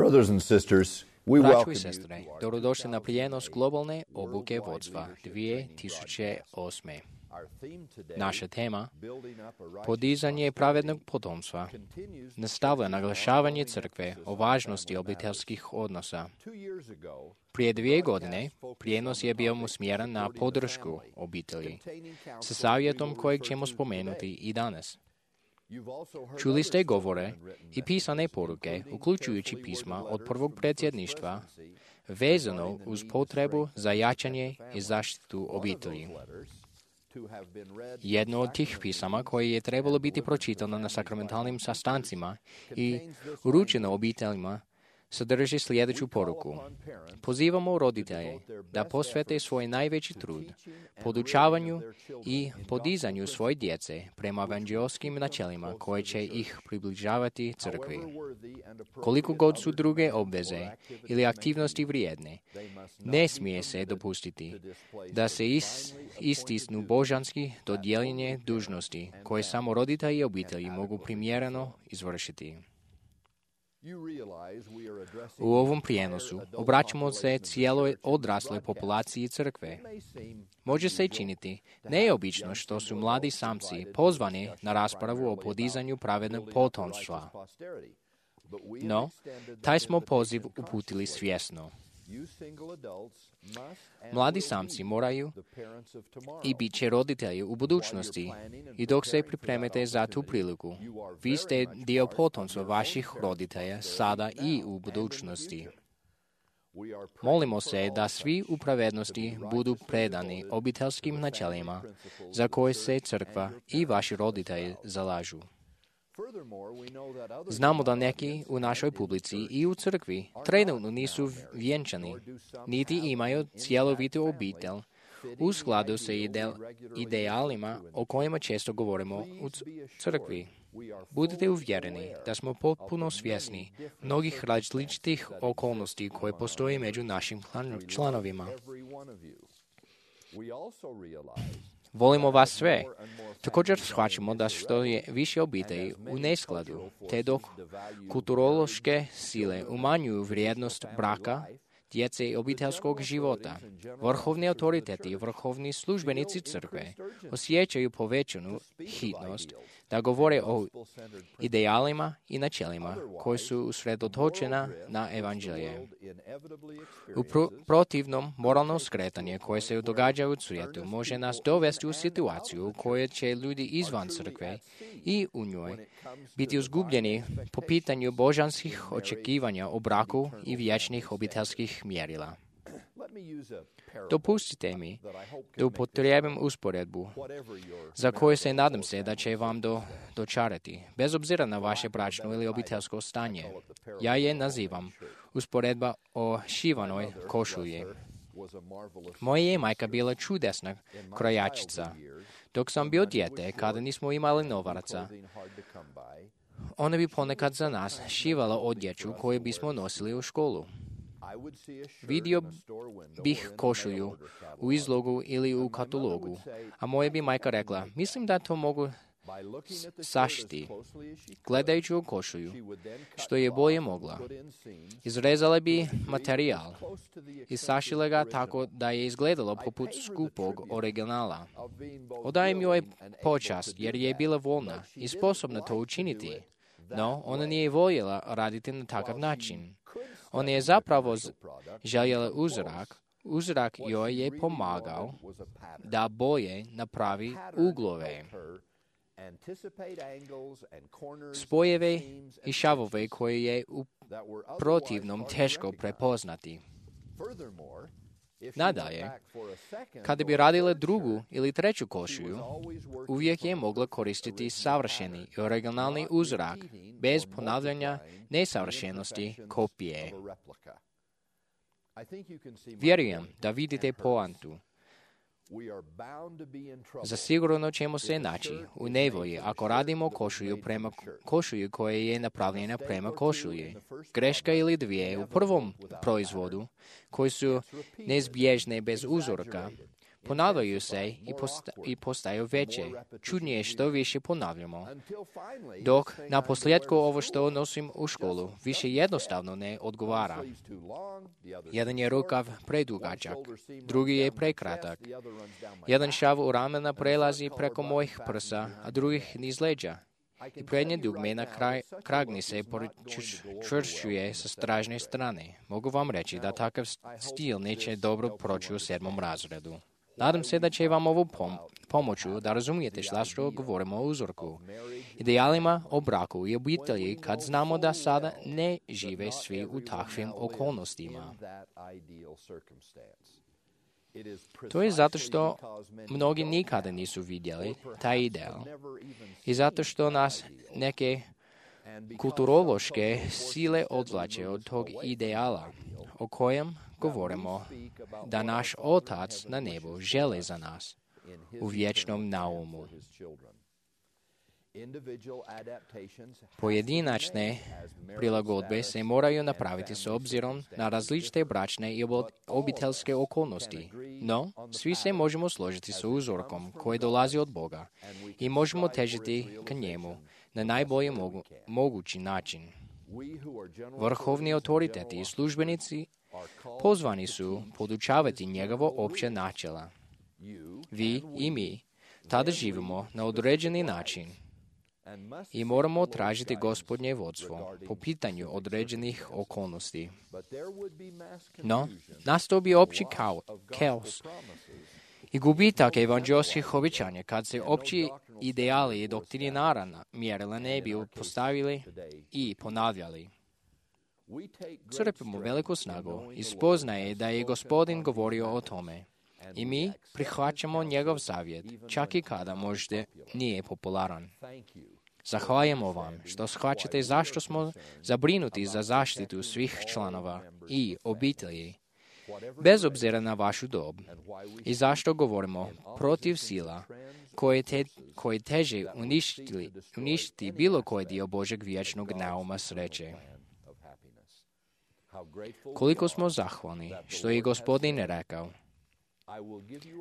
Brothers and sisters, we Braćo welcome i you sestre, to our dobrodošli na prijenos globalne obuke vodstva 2008. Our theme today, Naša tema, building up a righteous podizanje pravednog potomstva, continues nastavlja naglašavanje crkve o važnosti obiteljskih odnosa. 2 years ago. Prije 2 godine prijenos je bio usmjeren na podršku obitelji, sa savjetom kojeg ćemo spomenuti i danas. Čuli ste govore i pisane poruke, uključujući pisma od prvog predsjedništva, vezano uz potrebu za jačanje i zaštitu obitelji. Jedno od tih pisama koje je trebalo biti pročitano na sakramentalnim sastancima i uručeno obiteljima sadrži sljedeću poruku. Pozivamo roditelje da posvete svoj najveći trud podučavanju i podizanju svoje djece prema evanđeoskim načelima koje će ih približavati crkvi. Koliko god su druge obveze ili aktivnosti vrijedne, ne smije se dopustiti da se istisnu božanski dodijeljenje dužnosti koje samo roditelji i obitelji mogu primjereno izvršiti. U ovom prijenosu obraćamo se cijeloj odrasloj populaciji crkve. Može se činiti neobično što su mladi samci pozvani na raspravu o podizanju pravednog potomstva. No, taj smo poziv uputili svjesno. Mladi samci moraju i bit će roditelji u budućnosti i dok se pripremite za tu priliku, vi ste dio potomstva vaših roditelja sada i u budućnosti. Molimo se da svi u pravednosti budu predani obiteljskim načelima za koje se crkva i vaši roditelji zalažu. Znamo da neki u našoj publici i u crkvi trenutno nisu vjenčani, niti imaju cjelovitu obitelj u skladu sa idealima o kojima često govorimo u crkvi. Budite uvjereni da smo potpuno svjesni mnogih različitih okolnosti koje postoje među našim članovima. Volimo vas sve. Također shvaćamo da što je više obitelji u neskladu, te dok kulturološke sile umanjuju vrijednost braka, djece i obiteljskog života, vrhovni autoriteti i vrhovni službenici crkve osjećaju povećanu hitnost da govore o idealima i načelima koji su usredotočena na evanđelje. U protivnom, moralno skretanje koje se događa u svijetu može nas dovesti u situaciju u kojoj će ljudi izvan crkve i u njoj biti izgubljeni po pitanju božanskih očekivanja o braku i vječnih obiteljskih mjerila. Dopustite mi da upotrijebim usporedbu za koju se nadam se da će vam dočarati, bez obzira na vaše bračno ili obiteljsko stanje. Ja je nazivam usporedba o šivanoj košulji. Moja je majka bila čudesna krojačica. Dok sam bio dijete, kada nismo imali novaca, ona bi ponekad za nas šivala odjeću koju bismo nosili u školu. Vidio bih košulju u izlogu ili u katalogu, a moja bi majka rekla, mislim da to mogu sašiti. Gledajući u košulju, što je bolje mogla, izrezala bi materijal i sašila ga tako da je izgledalo poput skupog originala. Odajem joj počast jer je bila voljna i sposobna to učiniti, no ona nije voljela raditi na takav način. Ona je zapravo željela uzorak joj je pomagao da bolje napravi uglove, spojeve i šavove koje je u protivnom teško prepoznati. Nadalje, kada bi radila drugu ili treću košulju, uvijek je mogla koristiti savršeni i originalni uzorak, bez ponavljanja nesavršenosti kopije. Vjerujem da vidite poantu. Zasigurno ćemo se naći u nevolji ako radimo košulju koja je napravljena prema košulji. Greška ili dvije u prvom proizvodu, koji su neizbježne bez uzorka, Ponavljaju se i postaju veće. Čudnije što više ponavljamo. Dok na posljedku ovo što nosim u školu više jednostavno ne odgovara. Jedan je rukav predugačak, drugi je prekratak. Jedan šav u ramena prelazi preko mojih prsa, a drugih niz leđa. I prednje dugme na kragni se čvršćuje sa stražne strane. Mogu vam reći da takav stil neće dobro proći u 7. razredu. Nadam se da će vam ovo pomoći da razumijete što govorimo o uzorku, idealima o braku i obitelji kad znamo da sada ne žive svi u takvim okolnostima. To je zato što mnogi nikada nisu vidjeli taj ideal i zato što nas neke kulturološke sile odvlače od tog ideala o kojem govorimo da naš Otac na nebu želi za nas u vječnom naumu. Pojedinačne prilagodbe se moraju napraviti s obzirom na različite bračne i obiteljske okolnosti, no svi se možemo složiti sa uzorkom koji dolazi od Boga i možemo težiti ka njemu na najbolji mogući način. Vrhovni autoriteti i službenici pozvani su podučavati njegovo opće načela. Vi i mi tada živimo na određeni način i moramo tražiti Gospodnje vodstvo po pitanju određenih okolnosti. No, nastao bi opći kaos i gubitak evanđelskih obećanja kad se opći ideali i doktrinarna mjerila ne bi postavili i ponavljali. Crpimo veliku snagu i spoznaje da je Gospodin govorio o tome. I mi prihvaćamo njegov savjet, čak i kada možda nije popularan. Zahvaljujemo vam što shvaćate zašto smo zabrinuti za zaštitu svih članova i obitelji, bez obzira na vašu dob, i zašto govorimo protiv sila koje teže uništiti bilo koji dio Božeg vječnog nauma sreće. Koliko smo zahvalni što je Gospodin rekao: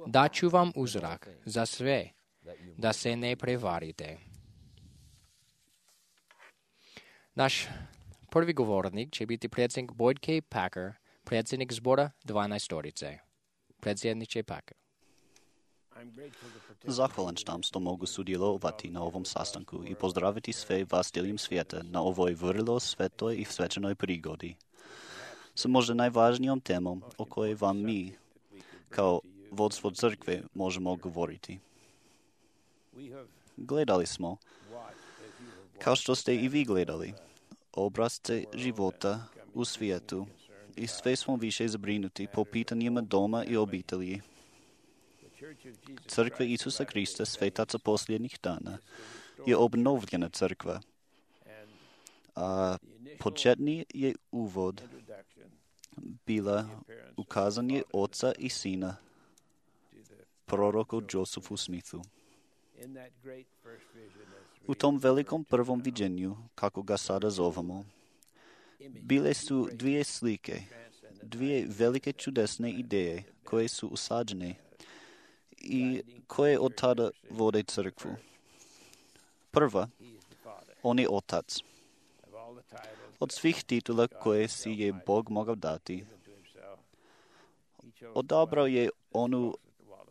daću vam uzorak za sve, da se ne prevarite. Naš prvi govornik će biti predsjednik Boyd K. Packer, predsjednik zbora 12-orice. Predsjedniče Packer. Zahvalan sam što mogu sudjelovati na ovom sastanku i pozdraviti sve vas diljem svijeta na ovoj vrlo svetoj i svečanoj prigodi. S možda najvažnijom temom o kojoj vam mi, kao vodstvo crkve, možemo govoriti. Gledali smo, kao što ste i vi gledali, obrazce života u svijetu i sve smo više zabrinuti po pitanjima doma i obitelji. Crkva Isusa Krista, svetaca posljednjih dana, je obnovljena crkva, a početni je uvod bila ukazanje Oca i Sina, proroku Josephu Smithu. U tom velikom prvom viđenju, kako ga sada zovemo, bile su dvije slike, dvije velike čudesne ideje koje su usađene i koje od tada vode crkvu. Prva, on je Otac. Od svih titula koje si je Bog mogao dati, odabrao je onu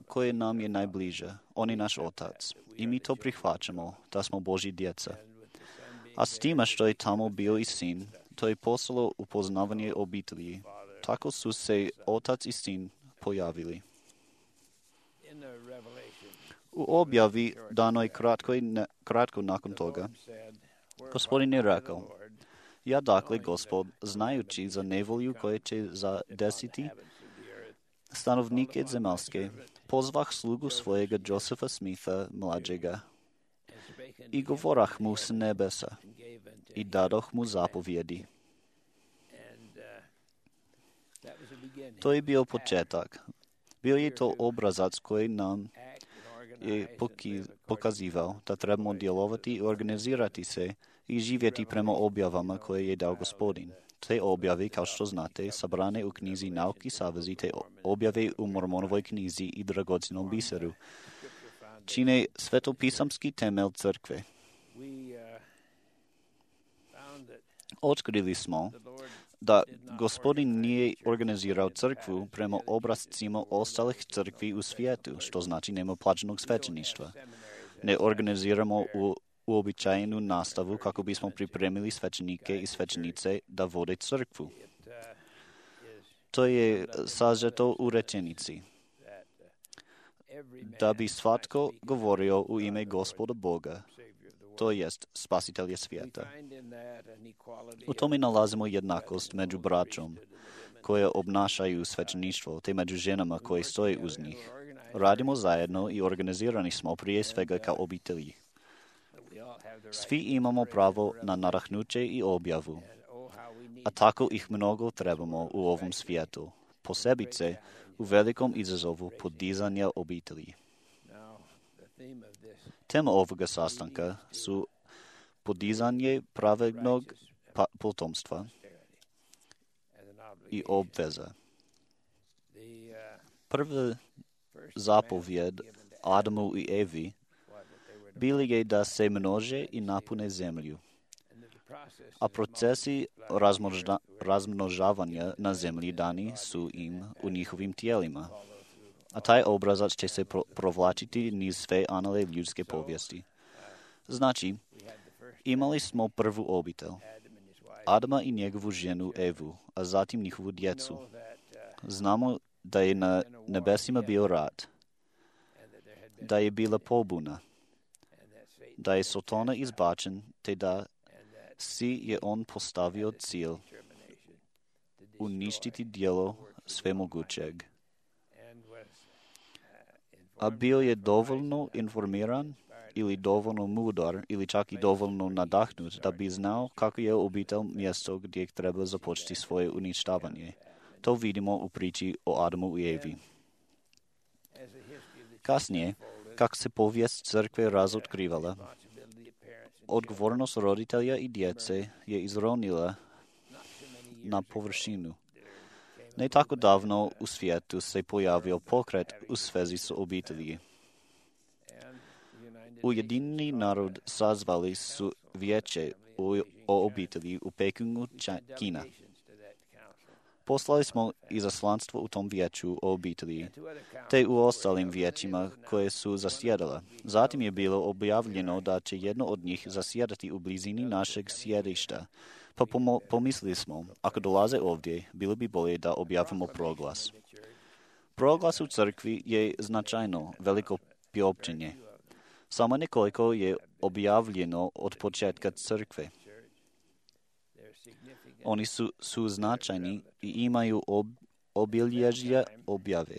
koja nam je najbliža. On je naš Otac. I mi to prihvaćamo, da smo Božji djeca. A s tima što je tamo bio i Sin, to je poslalo upoznavanje obitelji. Tako su se Otac i Sin pojavili. U objavi danoj kratko nakon toga, Gospodin je rekao: ja dakle, Gospod, znajući za nevolju koja će zadesiti stanovnike zemaljske, pozvah slugu svojega Josepha Smitha mlađega i govorah mu s nebesa i dadoh mu zapovjedi. To je bio početak. Bio je to obrazac koji nam je pokazivao da trebamo djelovati i organizirati se i živjeti prema objavama koje je dao Gospodin. Te objave, kao što znate, sabrane u knjizi Nauki savezi, te objave u Mormonovoj knjizi i dragocjenom biseru, čine svetopisamski temelj crkve. Otkrili smo da Gospodin nije organizirao crkvu prema obrascima ostalih crkvi u svijetu, što znači nema plaćenog svećeništva. Ne organiziramo uobičajenu nastavu kako bismo pripremili svećenike i svećenice da vode crkvu. To je sažeto u rečenici. Da bi svatko govorio u ime Gospoda Boga, to jest spasitelja svijeta. U tome nalazimo jednakost među braćom koje obnašaju svećeništvo, te među ženama koje stoje uz njih. Radimo zajedno i organizirani smo prije svega kao obitelji. Svi imamo pravo na nadahnuće i objavu, a tako ih mnogo trebamo u ovom svijetu, posebice u velikom izazovu podizanja obitelji. Tema ovoga sastanka su podizanje pravednog potomstva i obveza. Prva zapovjed Adamu i Evi bili je da se množe i napune zemlju, a procesi razmnožavanja na zemlji dani su im u njihovim tijelima, a taj obrazac će se provlačiti niz sve anale ljudske povijesti. Znači, imali smo prvu obitelj, Adama i njegovu ženu Evu, a zatim njihovu djecu. Znamo da je na nebesima bio rat, da je bila pobuna, da je Sotona izbačen, te da si je on postavio cilj uništiti djelo svemogućeg. A bio je dovoljno informiran ili dovoljno mudar ili čak i dovoljno nadahnut da bi znao kako je obitelj mjesto gdje treba započeti svoje uništavanje. To vidimo u priči o Adamu i Evi. Kasnije, kako se povijest crkve razotkrivala, odgovornost roditelja i djece je izronila na površinu. Ne tako davno u svijetu se pojavio pokret u svezi s obitelji. Ujedinjeni narod sazvali su vijeće o obitelji u Pekingu, Kina. Poslali smo izaslanstvo u tom vijeću o obitelji, te u ostalim vijećima koje su zasjedala. Zatim je bilo objavljeno da će jedno od njih zasjedati u blizini našeg sjedišta. Pa pomislili smo, ako dolaze ovdje, bilo bi bolje da objavimo proglas. Proglas u crkvi je značajno veliko priopćenje. Samo nekoliko je objavljeno od početka crkve. Oni su značajni i imaju obilježja objave.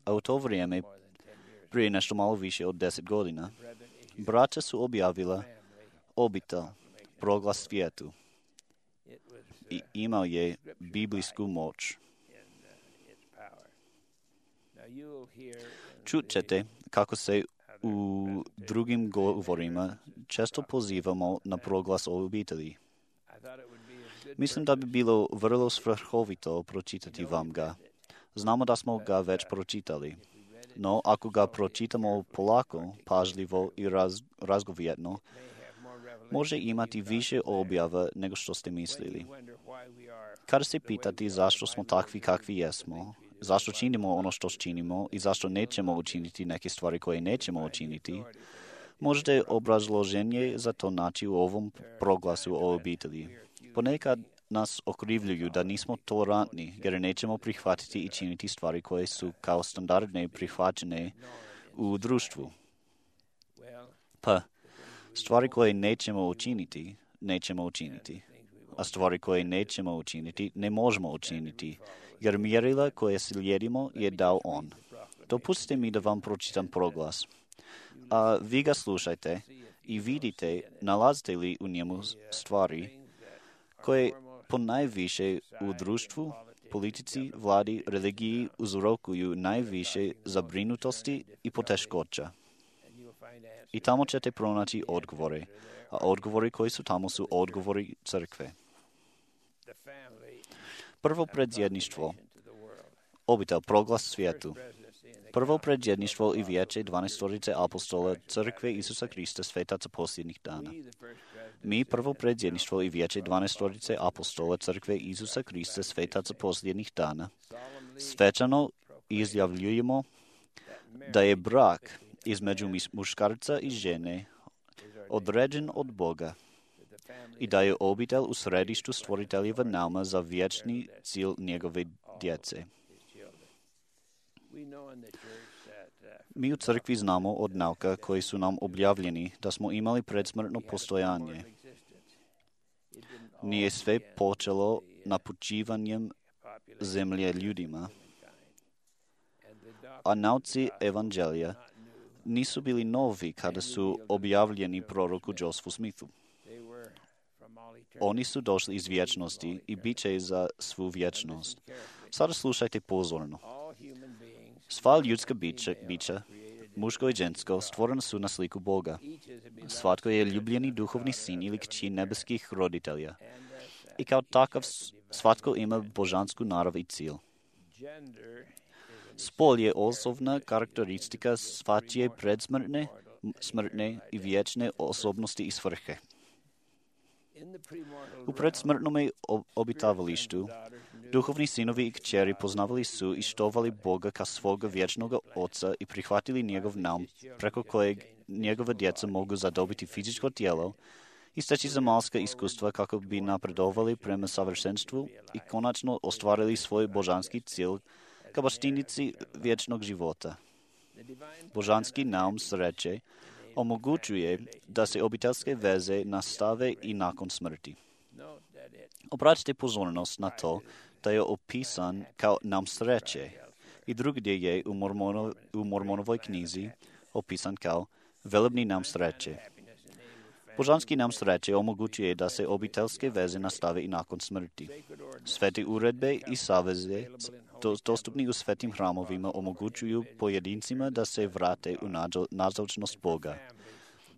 A u to vrijeme, prije nešto malo više od 10 godina, braća su objavila obitelj, proglas svijetu. I imao je biblijsku moć. Čut ćete kako se u drugim govorima često pozivamo na proglas o obitelji. Mislim da bi bilo vrlo svrhovito pročitati vam ga. Znamo da smo ga već pročitali, no ako ga pročitamo polako, pažljivo i razgovjetno, može imati više objava nego što ste mislili. Kada se pitati zašto smo takvi kakvi jesmo, zašto činimo ono što činimo i zašto nećemo učiniti neke stvari koje nećemo učiniti, možete obrazloženje za to naći u ovom proglasu o obitelji. Ponekad nas okrivljuju da nismo tolerantni jer nećemo prihvatiti i činiti stvari koje su kao standardne prihvaćene u društvu. Pa, stvari koje nećemo učiniti, nećemo učiniti. A stvari koje nećemo učiniti, ne možemo učiniti, jer mjerila koje slijedimo je dao on. Dopustite mi da vam pročitam proglas. A vi ga slušajte i vidite, nalazite li u njemu stvari koje ponajviše u društvu, politici, vladi, religiji uzrokuju najviše zabrinutosti i poteškoća. I tamo ćete pronaći odgovore, a odgovori koji su tamo su odgovori crkve. Prvo predsjedništvo, obitel proglas svijetu. Prvo predsjedništvo i vijeće 12 apostola Crkve Isusa Krista svetaca posljednjih dana. Mi, prvo predsjedništvo i vijeće 12 apostola Crkve Isusa Krista svetaca posljednjih dana, svečano izjavljujemo da je brak između muškarca i žene određen od Boga i da je obitel u središtu stvoriteljeva nauma za vječni cilj njegove djece. Mi u crkvi znamo od nauka koji su nam objavljeni da smo imali predsmrtno postojanje. Nije sve počelo napućivanjem zemlje ljudima, a nauci evanđelja nisu bili novi kada su objavljeni proroku Josefu Smithu. Oni su došli iz vječnosti i bit će za svu vječnost. Sada slušajte pozorno. Sva ljudska bića, muško i žensko, stvorena su na sliku Boga. Svatko je ljubljeni duhovni sin ili kći nebeskih roditelja. I kao takav svatko ima božansku narav i cilj. Spol je osobna karakteristika svačije predsmrtne, smrtne i vječne osobnosti i svrhe. U predsmrtnom obitavalištu duhovni sinovi i kćeri poznavali su i štovali Boga kao svoga vječnog oca i prihvatili njegov naum preko kojeg njegova djeca mogu zadobiti fizičko tijelo i steći zamalska iskustva kako bi napredovali prema savršenstvu i konačno ostvarili svoj božanski cilj kao baštinici vječnog života. Božanski naum sreće omogućuje da se obiteljske veze nastave i nakon smrti. Obratite pozornost na to da je opisan kao naum sreće i drugdje je u Mormonovoj knjizi opisan kao velebni naum sreće. Božanski naum sreće omogućuje da se obiteljske veze nastave i nakon smrti. Svete uredbe i saveze dostupni u svetim hramovima omogućuju pojedincima da se vrate u nazočnost Boga,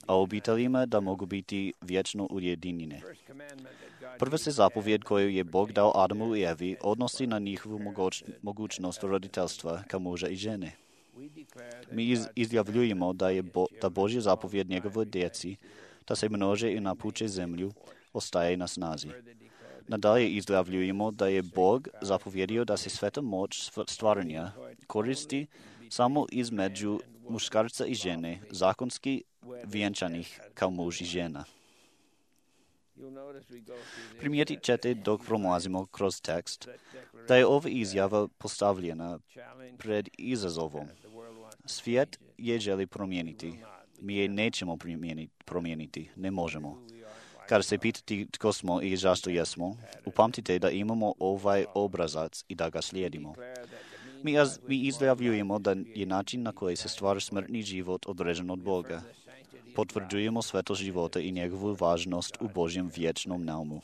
a obiteljima da mogu biti vječno ujedinjene. Prva se zapovjed koju je Bog dao Adamu i Evi odnosi na njihovu mogućnost roditeljstva kao muža i žene. Mi izjavljujemo da Božja zapovjed njegovoj djeci da se množe i napuče zemlju ostaje na snazi. Nadalje izjavljujemo da je Bog zapovjedio da se sveta moć stvaranja koristi samo između muškarca i žene, zakonski vjenčanih kao muž i žena. Primijetit ćete dok prolazimo kroz tekst da je ova izjava postavljena pred izazovom. Svijet je želi promijeniti. Mi je nećemo promijeniti, ne možemo. Kada se pitati tko smo i zašto jesmo, upamtite da imamo ovaj obrazac i da ga slijedimo. Mi izjavljujemo da je način na koji se stvara smrtni život određen od Boga. Potvrđujemo svetost života i njegovu važnost u Božjem vječnom naumu.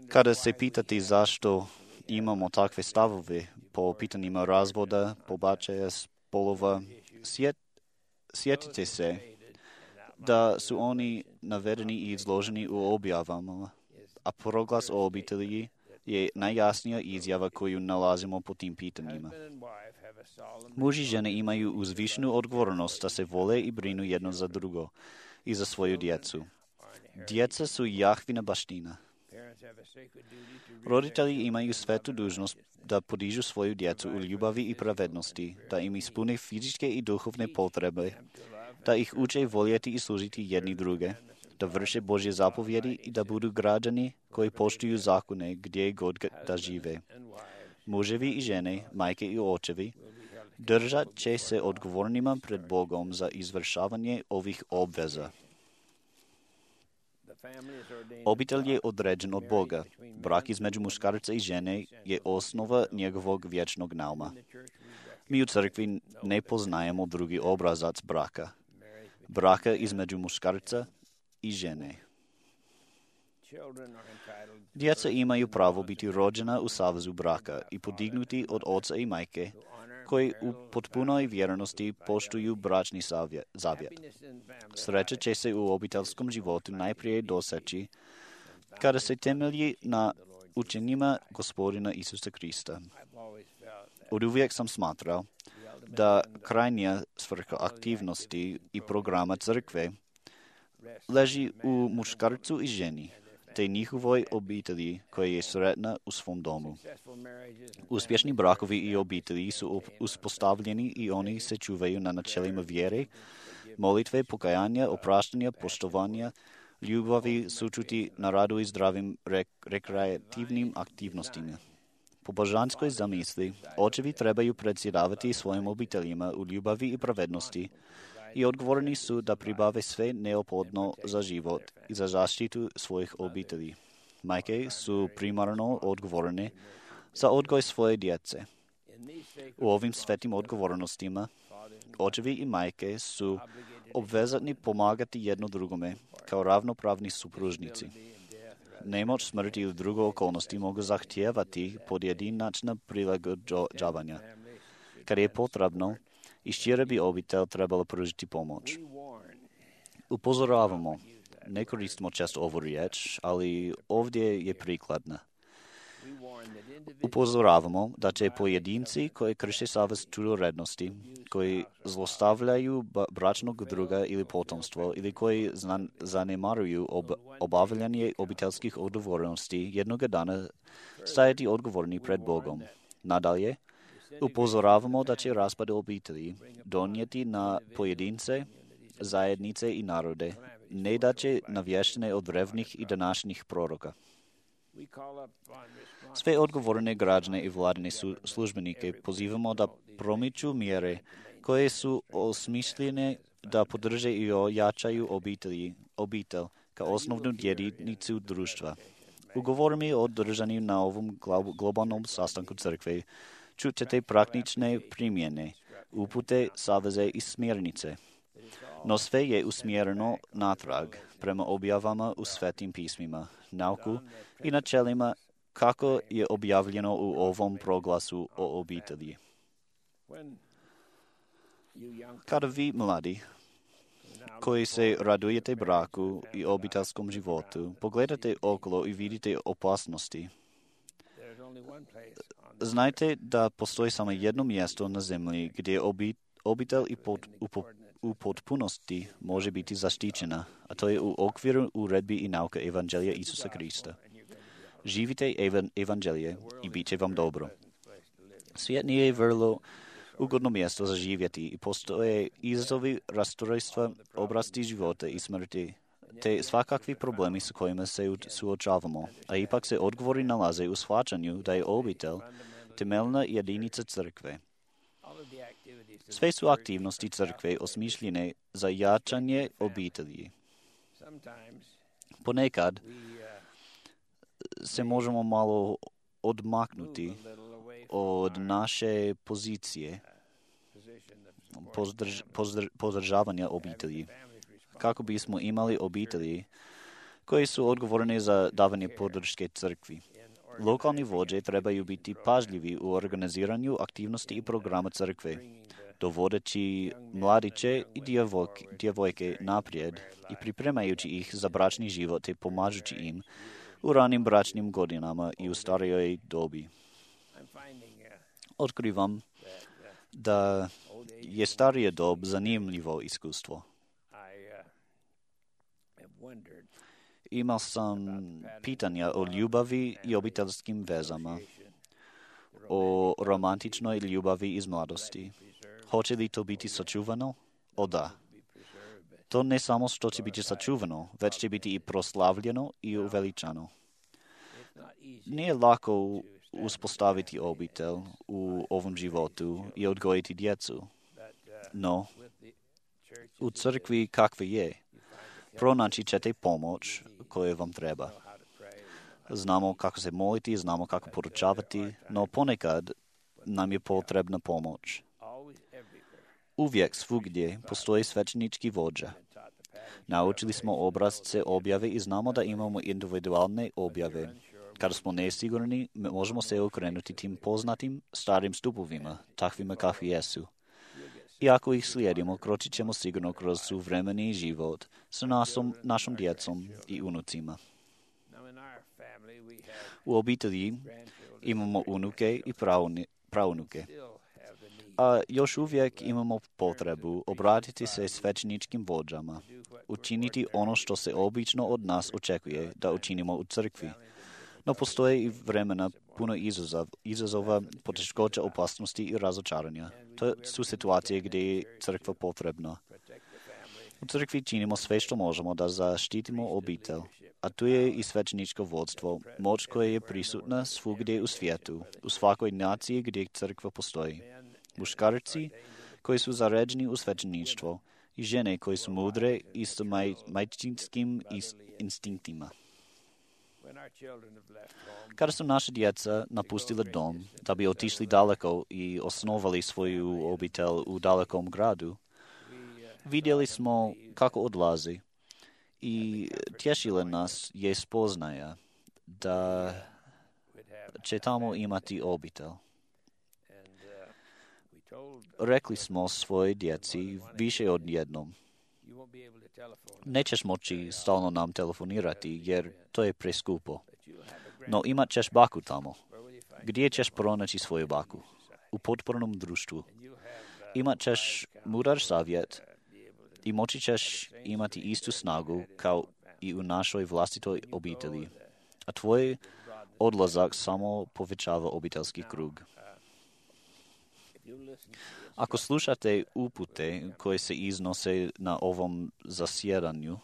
Kada se pitati zašto imamo takve stavove po pitanjima razvoda, pobačaja, spolova, sjetite se da su oni navedeni i izloženi u objavama, a proglas o obitelji je najjasnija izjava koju nalazimo po tim pitanjima. Muž i žene imaju uzvišenu odgovornost da se vole i brinu jedno za drugo i za svoju djecu. Djeca su Jahvina baština. Roditelji imaju svetu dužnost da podižu svoju djecu u ljubavi i pravednosti, da im ispune fizičke i duhovne potrebe, da ih uče voljeti i služiti jedni druge, da vrše Božje zapovjedi i da budu građani koji poštuju zakone gdje god da žive. Muževi i žene, majke i očevi, držat će se odgovornima pred Bogom za izvršavanje ovih obveza. Obitelj je određen od Boga. Brak između muškarca i žene je osnova njegovog vječnog nauma. Mi u crkvi ne poznajemo drugi obrazac braka između muškarca i žene. Djeca imaju pravo biti rođena u savezu braka i podignuti od oca i majke, koji u potpunoj vjernosti poštuju bračni zavjet. Sreća će se u obiteljskom životu najprije doseći kada se temelji na učenjima Gospodina Isusa Krista. Oduvijek sam smatrao da krajnja svrha aktivnosti i programa crkve leži u muškarcu i ženi, te njihovoj obitelji koja je sretna u svom domu. Uspješni brakovi i obitelji su uspostavljeni i oni se čuvaju na načelima vjere, molitve, pokajanja, opraštanja, poštovanja, ljubavi, sućuti na radu i zdravim rekreativnim aktivnostima. Po božanskoj zamisli, očevi trebaju predsjedavati svojim obiteljima u ljubavi i pravednosti i odgovorni su da pribave sve neophodno za život i za zaštitu svojih obitelji. Majke su primarno odgovorne za odgoj svoje djece. U ovim svetim odgovornostima očevi i majke su obvezatni pomagati jedno drugome kao ravnopravni supružnici. Nemoć, smrt ili druge okolnosti mogu zahtijevati pojedinačna prilagođavanja. Kad je potrebno, i šira bi obitelj trebala pružiti pomoć. Upozoravamo, ne koristimo često ovu riječ, ali ovdje je prikladna. Upozoravamo da će pojedinci koji krše savez čudorednosti, koji zlostavljaju bračnog druga ili potomstvo ili koji zanemaruju obavljanje obiteljskih odgovornosti jednoga dana stajati odgovorni pred Bogom. Nadalje, upozoravamo da će raspad obitelji donijeti na pojedince, zajednice i narode, ne da će navještene od drevnih i današnjih proroka. Sve odgovorne građane i vladine službenike pozivamo da promiču mjere koje su osmišljene da podrže i ojačaju obitelj kao osnovnu jedinicu društva. Ugovorima održanim na ovom globalnom sastanku crkve čućete praktične primjene, upute, saveze i smjernice. No sve je usmjereno natrag prema objavama u svetim pismima, nauku i načelima kako je objavljeno u ovom proglasu o obitelji. Kada vi, mladi, koji se radujete braku i obiteljskom životu, pogledate okolo i vidite opasnosti, znajte da postoji samo jedno mjesto na zemlji gdje obitelj u potpunosti može biti zaštićena, a to je u okviru uredbi i nauke Evanđelja Isusa Krista. Živite Evanđelje i bit će vam dobro. Svijet nije vrlo ugodno mjesto za živjeti i postoje izazovi rastrojstva, obrasti života i smrti, te svakakvi problemi s kojima se suočavamo, a ipak se odgovori nalaze u shvaćanju da je obitelj temeljna jedinica crkve. Sve su aktivnosti crkve osmišljene za jačanje obitelji. Ponekad se možemo malo odmaknuti od naše pozicije podržavanja obitelji, kako bismo imali obitelji koji su odgovorni za davanje podrške crkvi. Lokalni vođe trebaju biti pažljivi u organiziranju aktivnosti i programa crkve, dovodeći mladiće i djevojke naprijed i pripremajući ih za bračni život i pomažući im u ranim bračnim godinama i u starijoj dobi. Otkrivam da je starija dob zanimljivo iskustvo. Imao sam pitanja o ljubavi i obiteljskim vezama, o romantičnoj ljubavi iz mladosti. Hoće li to biti sačuvano? O da. To ne samo što će biti sačuvano, već će biti i proslavljeno i uveličano. Nije lako uspostaviti obitelj u ovom životu i odgojiti djecu, no u crkvi kakve je, pronaći ćete pomoć koju vam treba. Znamo kako se moliti, znamo kako poručavati, no ponekad nam je potrebna pomoć. Uvijek svugdje postoji svećenički vođa. Naučili smo obrazce objave i znamo da imamo individualne objave. Kada smo nesigurni, možemo se okrenuti tim poznatim starim stupovima, takvima kakvi jesu. I ako ih slijedimo, kročit ćemo sigurno kroz suvremeni život sa našom djecom i unucima. U obitelji imamo unuke i praunuke. A još uvijek imamo potrebu obratiti se svećeničkim vođama, učiniti ono što se obično od nas očekuje da učinimo u crkvi. No postoje i vremena puno izazova, poteškoća, opasnosti i razočaranja. To su situacije gdje je crkva potrebna. U crkvi činimo sve što možemo da zaštitimo obitelj, a tu je i svećeničko vodstvo, moć koja je prisutna svugdje u svijetu, u svakoj naciji gdje crkva postoji. Muškarci koji su zaređeni u svećeništvo i žene koji su mudre i s majčinskim instinktima. Kada su naše djeca napustile dom da bi otišli daleko i osnovali svoju obitelj u dalekom gradu, vidjeli smo kako odlazi i tješile nas je spoznaja da će tamo imati obitelj. Rekli smo svojoj djeci više od jednom: nećeš moći stalno nam telefonirati jer to je preskupo. No imat ćeš baku tamo. Gdje ćeš pronaći svoju baku? U potpornom društvu. Imat ćeš mudar savjet i moći ćeš imati istu snagu kao i u našoj vlastitoj obitelji. A tvoj odlazak samo povećava obiteljski krug. Ako slušate upute koje se iznose na ovom zasjedanju,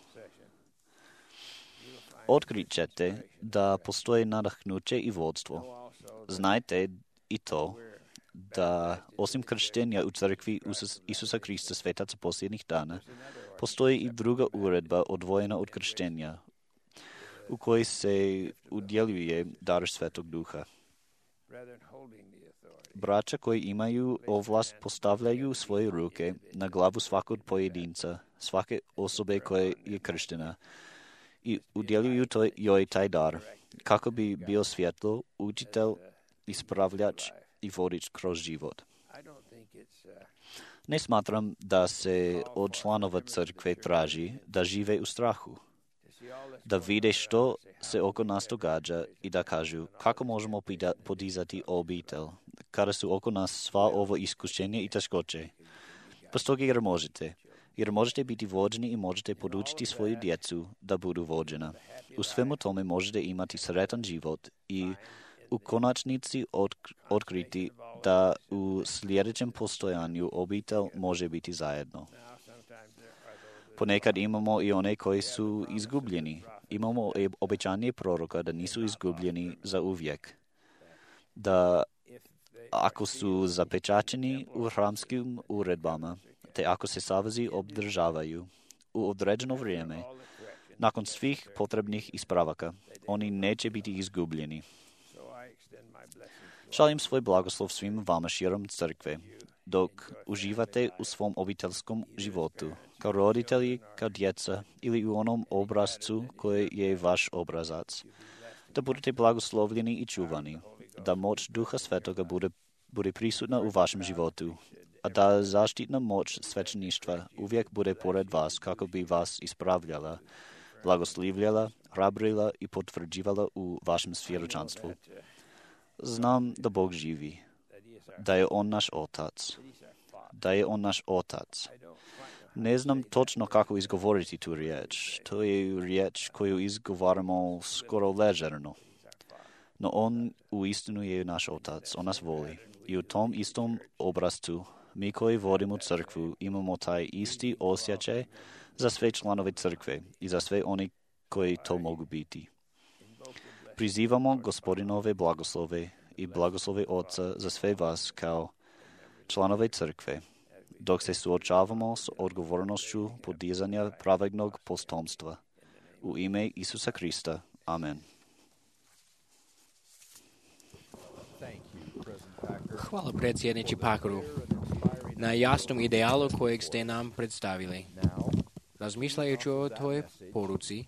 otkrit ćete da postoje nadahnuće i vodstvo. Znajte i to da osim krštenja u crkvi Isusa Krista svetaca posljednjih dana, postoji i druga uredba odvojena od krštenja, u kojoj se udjeljuje dar Svetog Duha. Braća koji imaju ovlast postavljaju svoje ruke na glavu svakog pojedinca, svake osobe koja je krštena, i udjeljuju joj taj dar, kako bi bio svjetlo, učitelj, ispravljač i vodič kroz život. Ne smatram da se od članova crkve traži da žive u strahu, da vide što se oko nas događa i da kažu kako možemo podizati obitelj, kada su oko nas sva ovo iskušenje i teškoće. Postoji jer možete biti vođeni i možete podučiti svoju djecu da budu vođena. U svemu tome možete imati sretan život i u konačnici otkriti da u sljedećem postojanju obitelj može biti zajedno. Ponekad imamo i one koji su izgubljeni. Imamo obećanje proroka da nisu izgubljeni za uvijek. Da ako su zapečaćeni u hramskim uredbama, te ako se savezi obdržavaju u određeno vrijeme, nakon svih potrebnih ispravaka, oni neće biti izgubljeni. Šaljem svoj blagoslov svim vama širom crkve, dok uživate u svom obiteljskom životu, kao roditelji, kao djeca ili u onom obrazcu koji je vaš obrazac. Da budete blagoslovljeni i čuvani, da moć Duha Svetoga bude prisutna u vašem životu, a da zaštitna moć svećeništva uvijek bude pored vas kako bi vas ispravljala, blagoslivljala, hrabrila i potvrđivala u vašem svjedočanstvu. Znam da Bog živi, da je On naš Otac. Ne znam točno kako izgovoriti tu riječ. To je riječ koju izgovaramo skoro ležerno. No On uistinu je naš Otac, On nas voli. I u tom istom obrazcu mi koji vodimo crkvu imamo taj isti osjećaj za sve članove crkve i za sve oni koji to mogu biti. Prizivamo Gospodinove blagoslove i blagoslove Oca za sve vas kao članove crkve, dok se suočavamo s odgovornošću podizanja pravednog potomstva. U ime Isusa Krista. Amen. Hvala predsjedniče Pakaru na jasnom idealu kojeg ste nam predstavili. Razmišljajući o toj poruci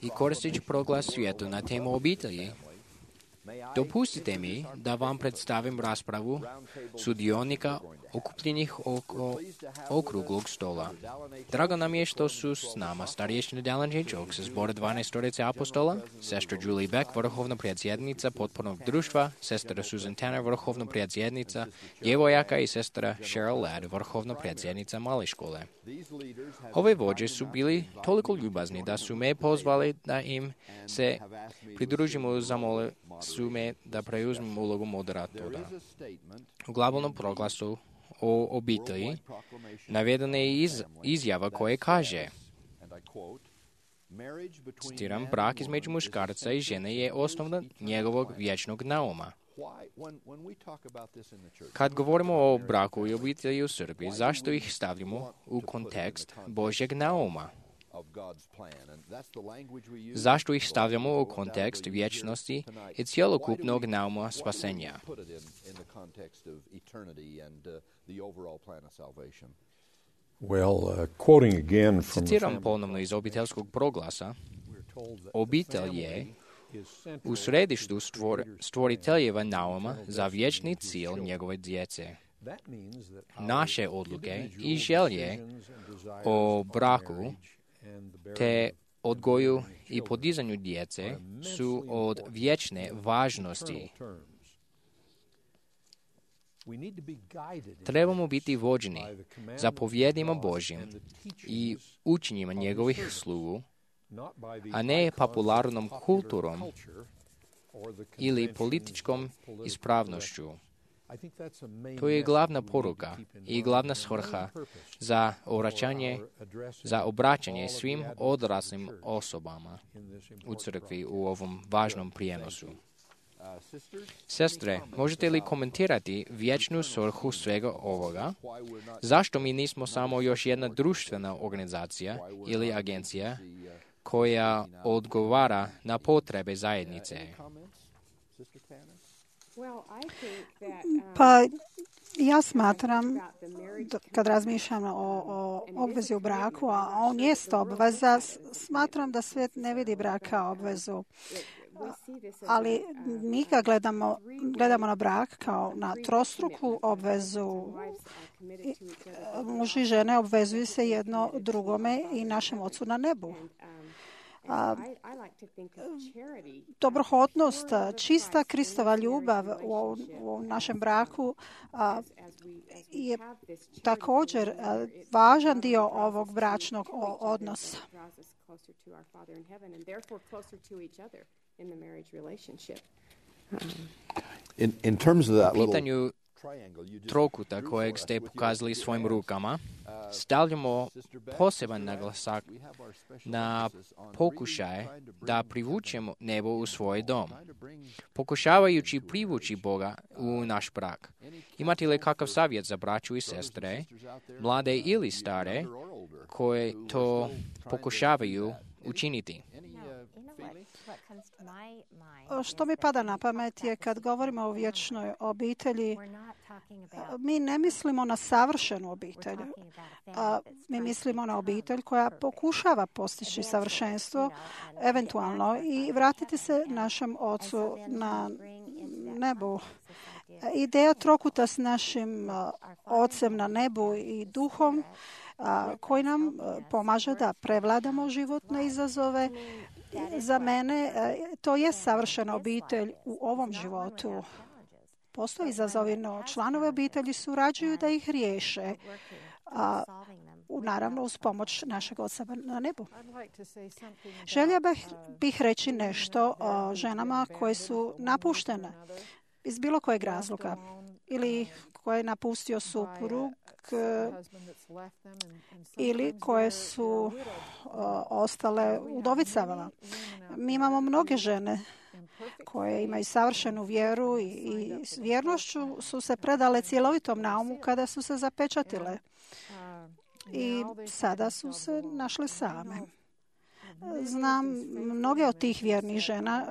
i koristeći proglas svijetu na temu obitelji, dopustite mi da vam predstavim raspravu sudionika okupljenih oko okruglog stola. Drago nam je što su s nama starješina Dallin J. Jokes iz zbora 12 apostola, sestra Julie Beck, vrhovna predsjednica potpornog društva, sestra Susan Tanner, vrhovna predsjednica djevojaka i sestra Cheryl Ladd, vrhovna predsjednica male škole. Ove vođe su bili toliko ljubazni da su me pozvali da im se pridružimo, zamole su me da preuzmem ulogu moderatora. U glavnom proglasu o obitelji navedena je izjava koja kaže, citiram, brak između muškarca i žene je osnova njegovog vječnog nauma. Kad govorimo o braku i obitelji u Srbiji, zašto ih stavljamo u kontekst Božjeg nauma? Zašto ih stavljamo u kontekst vječnosti i cjelokupnog nauma spasenja? Citiram ponovno iz obiteljskog proglasa, obitelj je u središtu stvoriteljeva nauma za vječni cilj njegove djece. Naše odluke i želje o braku te odgoju i podizanju djece su od vječne važnosti. Trebamo biti vođeni zapovjedima Božjim i učenjima njegovih slugu, a ne popularnom kulturom ili političkom ispravnošću. To je glavna poruka i glavna svrha za obraćanje svim odraslim osobama u crkvi u ovom važnom prijenosu. Sestre, možete li komentirati vječnu svrhu svega ovoga? Zašto mi nismo samo još jedna društvena organizacija ili agencija koja odgovara na potrebe zajednice? Pa ja smatram, kad razmišljam o obvezi u braku, a on jest obveza, smatram da svijet ne vidi brak kao obvezu. Ali mi ga gledamo na brak kao na trostruku obvezu. Muž i žene obvezuju se jedno drugome i našem Ocu na nebu. Dobrohotnost, čista Kristova ljubav u našem braku je također važan dio ovog bračnog odnosa. U pitanju trokuta kojeg ste pokazali svojim rukama, stavljamo poseban naglasak na pokušaj da privučemo nebo u svoj dom, pokušavajući privući Boga u naš brak. Imate li kakav savjet za braću i sestre, mlade ili stare, koje to pokušavaju učiniti? Što mi pada na pamet je kad govorimo o vječnoj obitelji, mi ne mislimo na savršenu obitelj. Mi mislimo na obitelj koja pokušava postići savršenstvo, eventualno i vratiti se našem Ocu na nebu. Ideja trokuta s našim Ocem na nebu i duhom koji nam pomaže da prevladamo životne izazove. Za mene to je savršena obitelj u ovom životu. Postoji izazovi, no članovi obitelji surađuju da ih riješe, naravno uz pomoć našeg Oca na nebu. Želja bih reći nešto o ženama koje su napuštene iz bilo kojeg razloga ili koje je napustio suprug ili koje su ostale udovicama. Mi imamo mnoge žene koje imaju savršenu vjeru i s vjernošću su se predale cjelovitom naumu kada su se zapečatile. I sada su se našle same. Znam mnoge od tih vjernih žena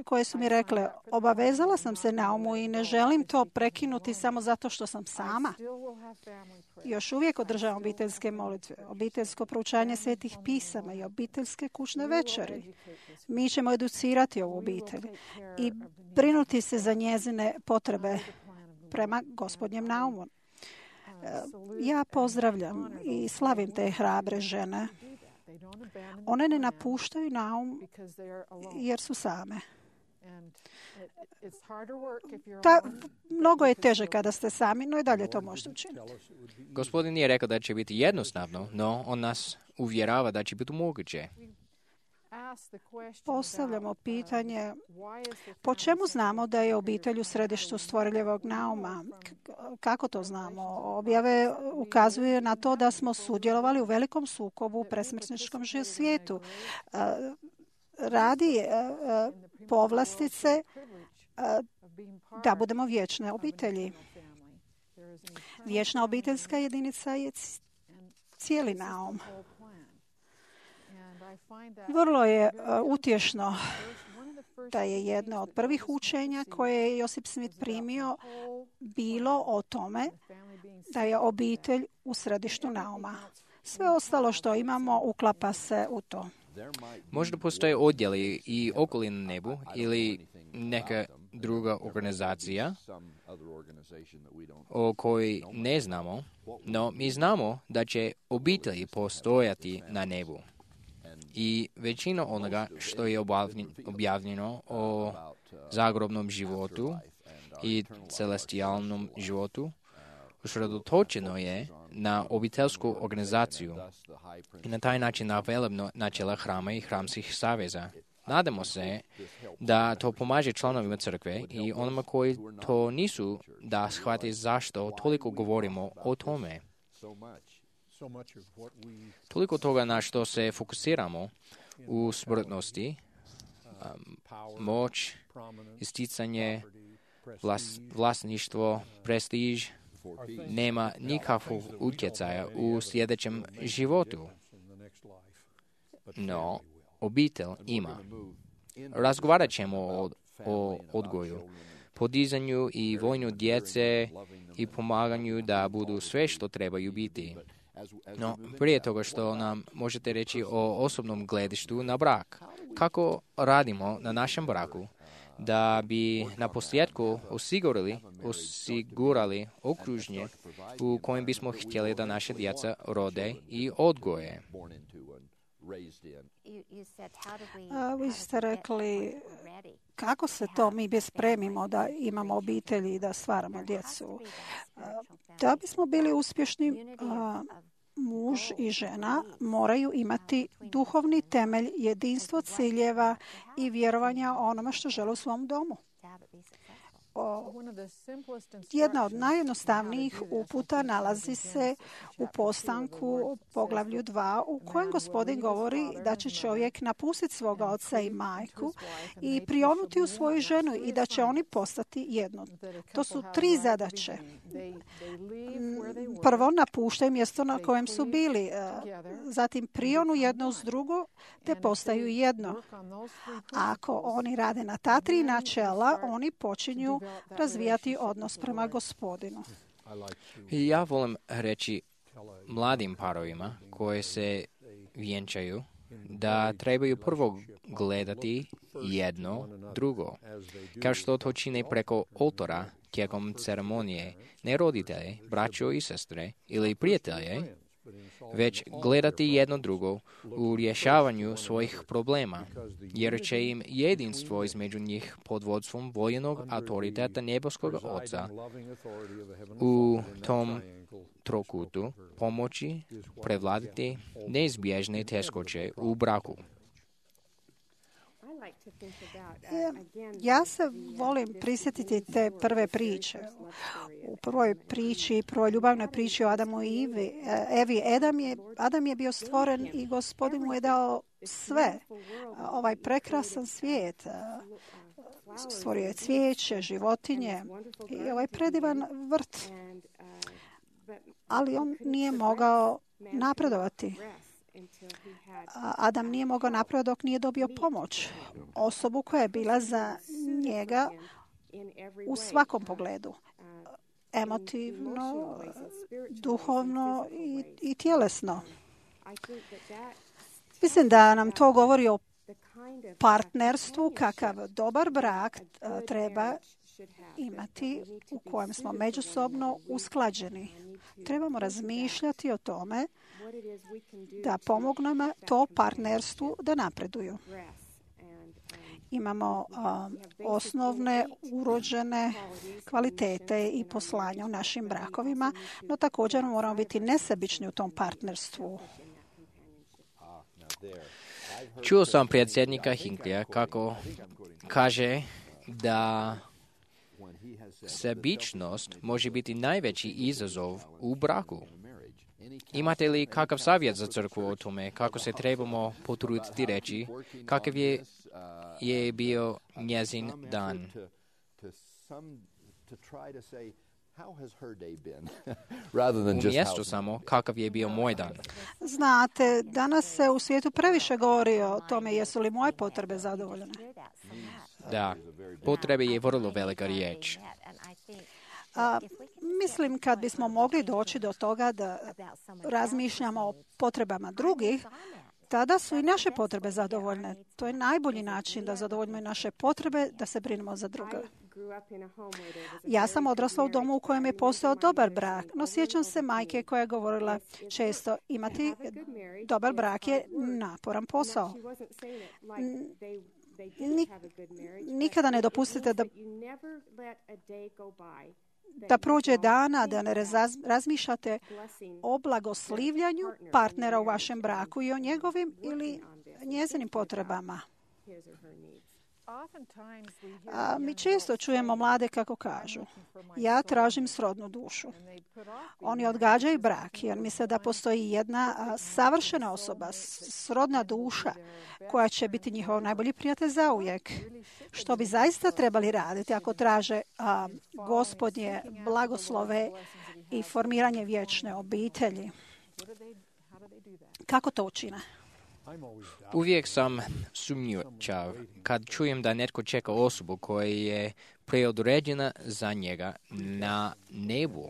koje su mi rekle, obavezala sam se naumu i ne želim to prekinuti samo zato što sam sama. Još uvijek održavam obiteljske molitve, obiteljsko proučanje svetih pisama i obiteljske kućne večeri. Mi ćemo educirati ovu obitelj i brinuti se za njezine potrebe prema Gospodnjem naumu. Ja pozdravljam i slavim te hrabre žene. One ne napuštaju naum jer su same. Mnogo je teže kada ste sami, no i dalje to možete učiniti. Gospodin nije rekao da će biti jednostavno, no on nas uvjerava da će biti moguće. Postavljamo pitanje po čemu znamo da je obitelj u središtu stvoreljevog nauma? Kako to znamo? Objave ukazuje na to da smo sudjelovali u velikom sukobu u presmrtničkom svijetu. Radi povlastice da budemo vječne obitelji. Vječna obiteljska jedinica je cijeli naum. Vrlo je utješno da je jedno od prvih učenja koje je Josip Smith primio bilo o tome da je obitelj u središtu nauma. Sve ostalo što imamo uklapa se u to. Možda postoje odjeli i okoli na nebu ili neka druga organizacija o kojoj ne znamo, no mi znamo da će obitelji postojati na nebu. I većina onoga što je objavljeno o zagrobnom životu i celestijalnom životu usredotočeno je na obiteljsku organizaciju i na taj način na velebno načela hrama i hramskih saveza. Nadamo se da to pomaže članovima crkve i onima koji to nisu da shvate zašto toliko govorimo o tome. Toliko toga na što se fokusiramo u smrtnosti, moć, isticanje, vlasništvo, prestiž, nema nikakvog utjecaja u sljedećem životu. No, obitelj ima. Razgovarat ćemo o odgoju, podizanju i vođenju djece i pomaganju da budu sve što trebaju biti. No, prije toga što nam možete reći o osobnom gledištu na brak. Kako radimo na našem braku da bi na posljedku osigurali okruženje u kojem bismo htjeli da naše djeca rode i odgoje? Vi ste rekli kako se to mi bespremimo da imamo obitelji i da stvaramo djecu. Da bismo bili uspješni, muž i žena moraju imati duhovni temelj, jedinstvo ciljeva i vjerovanja o onome što žele u svom domu. Jedna od najjednostavnijih uputa nalazi se u Postanku poglavlju 2 u kojem Gospodin govori da će čovjek napustiti svoga oca i majku i prionuti u svoju ženu i da će oni postati jedno. To su 3 zadaće. Prvo, napuštaju mjesto na kojem su bili, zatim prionu jedno uz drugo te postaju jedno. Ako oni rade na ta 3 načela, oni počinju razvijati odnos prema Gospodinu. Ja volim reći mladim parovima koji se vjenčaju da trebaju prvo gledati jedno drugo, kao što to čine preko oltora tijekom ceremonije, ne roditelje, braćo i sestre ili prijatelje, već gledati jedno drugo u rješavanju svojih problema, jer će im jedinstvo između njih pod vodstvom voljenog autoriteta nebeskog Oca u tom trokutu pomoći prevladati neizbježne teškoće u braku. Ja se volim prisjetiti te prve priče. U prvoj priči, prvoj ljubavnoj priči o Adamu i Evi, Adam je bio stvoren i Gospodin mu je dao sve. Ovaj prekrasan svijet. Stvorio je cvijeće, životinje i ovaj predivan vrt. Ali on nije mogao napredovati. Adam nije mogao napredovati dok nije dobio pomoć. Osobu koja je bila za njega u svakom pogledu. Emotivno, duhovno i tjelesno. Mislim da nam to govori o partnerstvu, kakav dobar brak treba imati u kojem smo međusobno usklađeni. Trebamo razmišljati o tome da pomognemo to partnerstvu da napreduju. Imamo osnovne urođene kvalitete i poslanja u našim brakovima, no također moramo biti nesebični u tom partnerstvu. Čuo sam predsjednika Hinklija kako kaže da sebičnost može biti najveći izazov u braku. Imate li kakav savjet za crkvu o tome kako se trebamo potruditi reći kakav je bio njezin dan? Umjesto samo kakav je bio moj dan. Znate, danas se u svijetu previše govori o tome jesu li moje potrebe zadovoljene. Da, potrebe je vrlo velika riječ. Mislim, kad bismo mogli doći do toga da razmišljamo o potrebama drugih, tada su i naše potrebe zadovoljne. To je najbolji način da zadovoljimo i naše potrebe, da se brinemo za druge. Ja sam odrasla u domu u kojem je postojao dobar brak, no sjećam se majke koja je govorila često imati dobar brak je naporan posao. Nikada ne dopustite da prođe dana, da ne razmišljate o blagoslivljanju partnera u vašem braku i o njegovim ili njezinim potrebama. Mi često čujemo mlade kako kažu, ja tražim srodnu dušu. Oni odgađaju brak jer misle da postoji jedna savršena osoba, srodna duša, koja će biti njihov najbolji prijatelj zauvijek. Što bi zaista trebali raditi ako traže Gospodnje blagoslove i formiranje vječne obitelji? Kako to učine? Uvijek sam sumnjičav kad čujem da netko čeka osobu koja je preodređena za njega na nebu.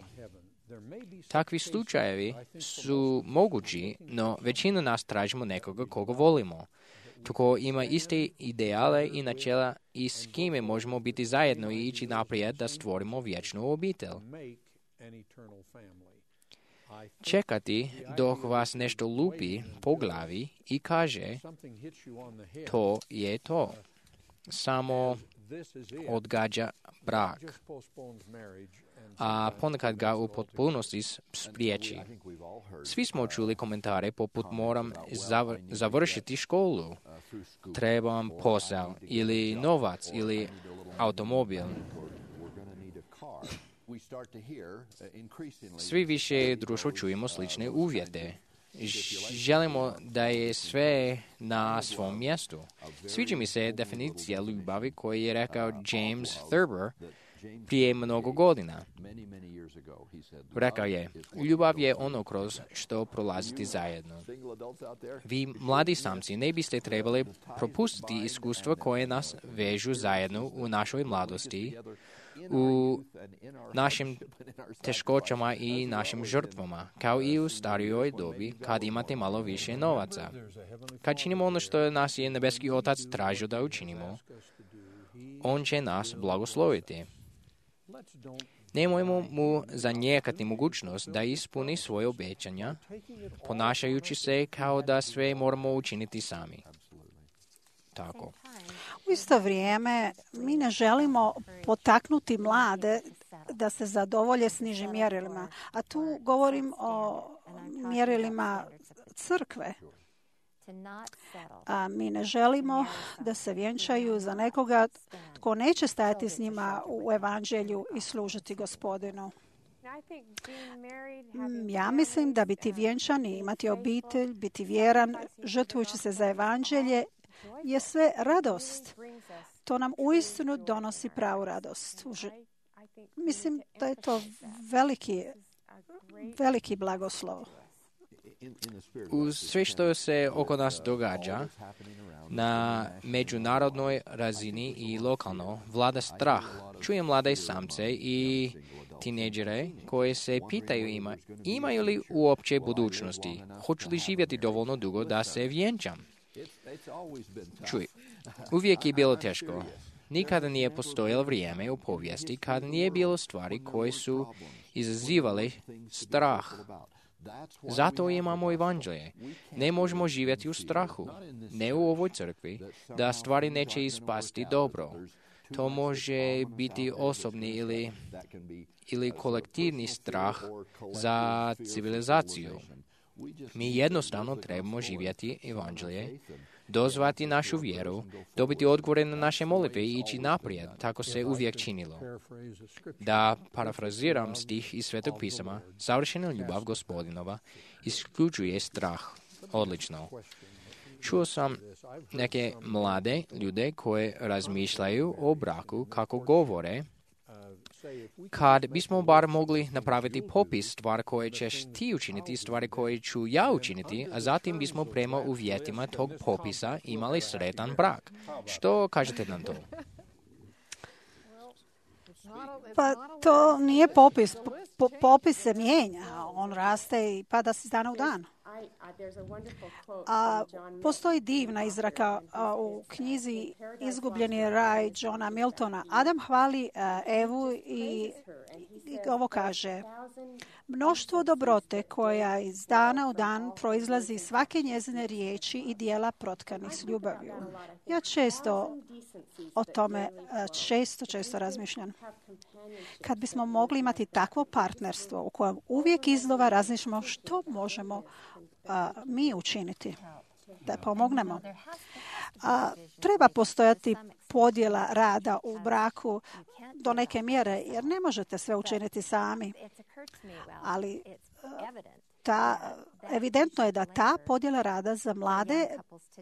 Takvi slučajevi su mogući, no većina nas tražimo nekoga koga volimo. Tko ima iste ideale i načela i s kime možemo biti zajedno i ići naprijed da stvorimo vječnu obitelj. Čekati dok vas nešto lupi po glavi i kaže to je to. Samo odgađa brak, a ponekad ga u potpunosti spriječi. Svi smo čuli komentare poput moram završiti školu, trebam posao ili novac ili automobil. Svi više društvo čujemo slične uvjete. Želimo da je sve na svom mjestu. Sviđa mi se definicija ljubavi koju je rekao James Thurber prije mnogo godina. Rekao je, ljubav je ono kroz što prolaziti zajedno. Vi, mladi samci, ne biste trebali propustiti iskustva koje nas vežu zajedno u našoj mladosti, u našim teškoćama i našim žrtvama, kao i u starijoj dobi kad imate malo više novaca. Kad činimo ono što nas je nebeski Otac tražio da učinimo, on će nas blagosloviti. Nemojmo mu zanijekati mogućnost da ispuni svoje obećanja, ponašajući se kao da sve moramo učiniti sami. Tako. U isto vrijeme mi ne želimo potaknuti mlade da se zadovolje s nižim mjerilima, a tu govorim o mjerilima crkve. A mi ne želimo da se vjenčaju za nekoga tko neće stajati s njima u evanđelju i služiti Gospodinu. Ja mislim da biti vjenčan i imati obitelj, biti vjeran, žrtvujući se za evanđelje, je sve radost. To nam uistinu donosi pravu radost. Mislim da je to veliki blagoslov. Uz sve što se oko nas događa, na međunarodnoj razini i lokalno vlada strah. Čujem mlade samce i tineđere koji se pitaju imaju li uopće budućnosti, hoću li živjeti dovoljno dugo da se vjenčam. Čuj, uvijek je bilo teško. Nikada nije postojalo vrijeme u povijesti kada nije bilo stvari koje su izazivale strah. Zato imamo evanđelje. Ne možemo živjeti u strahu, ne u ovoj crkvi, da stvari neće ispasti dobro. To može biti osobni ili kolektivni strah za civilizaciju. Mi jednostavno trebamo živjeti evanđelje, dozvati našu vjeru, dobiti odgovore na naše molitve i ići naprijed. Tako se uvijek činilo. Da parafraziram stih iz Svetog pisama, savršena ljubav Gospodinova isključuje strah. Odlično. Čuo sam neke mlade ljude koje razmišljaju o braku kako govore, kad bismo bar mogli napraviti popis stvari koje ćeš ti učiniti, stvari koje ću ja učiniti, a zatim bismo prema uvjetima tog popisa imali sretan brak. Što kažete na to? Pa to nije popis. Popis se mijenja. On raste i pada iz dana u dan. Postoji divna izreka u knjizi Izgubljeni raj Johna Miltona. Adam hvali Evu i ovo kaže: mnoštvo dobrote koja iz dana u dan proizlazi iz svake njezine riječi i dijela protkanih s ljubavlju. Ja često o tome često razmišljam. Kad bismo mogli imati takvo partnerstvo u kojem uvijek iznova razmišljamo što možemo mi učiniti da pomognemo. Treba postojati podjela rada u braku do neke mjere, jer ne možete sve učiniti sami. Ali evidentno je da ta podjela rada za mlade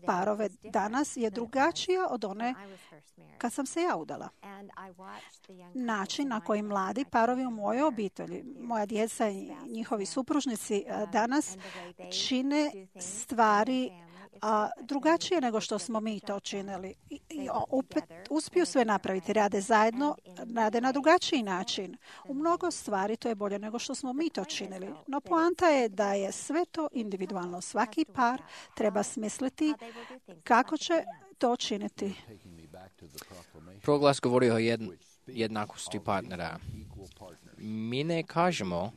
parove danas je drugačija od one kad sam se ja udala. Način na koji mladi parovi u mojoj obitelji, moja djeca i njihovi supružnici danas čine stvari drugačije nego što smo mi to činili. I opet uspiju sve napraviti, rade zajedno, rade na drugačiji način. U mnogo stvari to je bolje nego što smo mi to činili. No poanta je da je sve to individualno. Svaki par treba smisliti kako će to činiti. Proglas govori o jednakosti partnera. Mi ne kažemo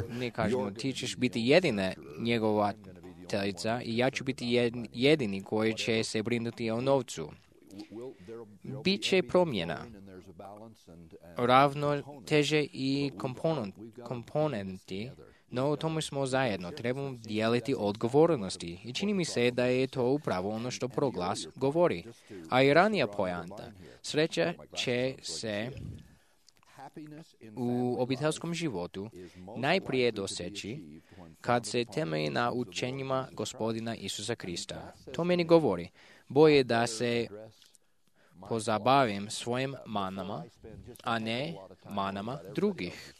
ne kažemo, ti ćeš biti jedina njegovateljica i ja ću biti jedini koji će se brinuti o novcu. Biće promjena, ravnoteže i komponenti, no u tome smo zajedno. Trebamo dijeliti odgovornosti i čini mi se da je to upravo ono što proglas govori. A i ranija pojanta. Sreća će se u obiteljskom životu najprije doseći kad se temelji na učenjima Gospodina Isusa Krista. To meni govori, bolje da se pozabavim svojim manama, a ne manama drugih.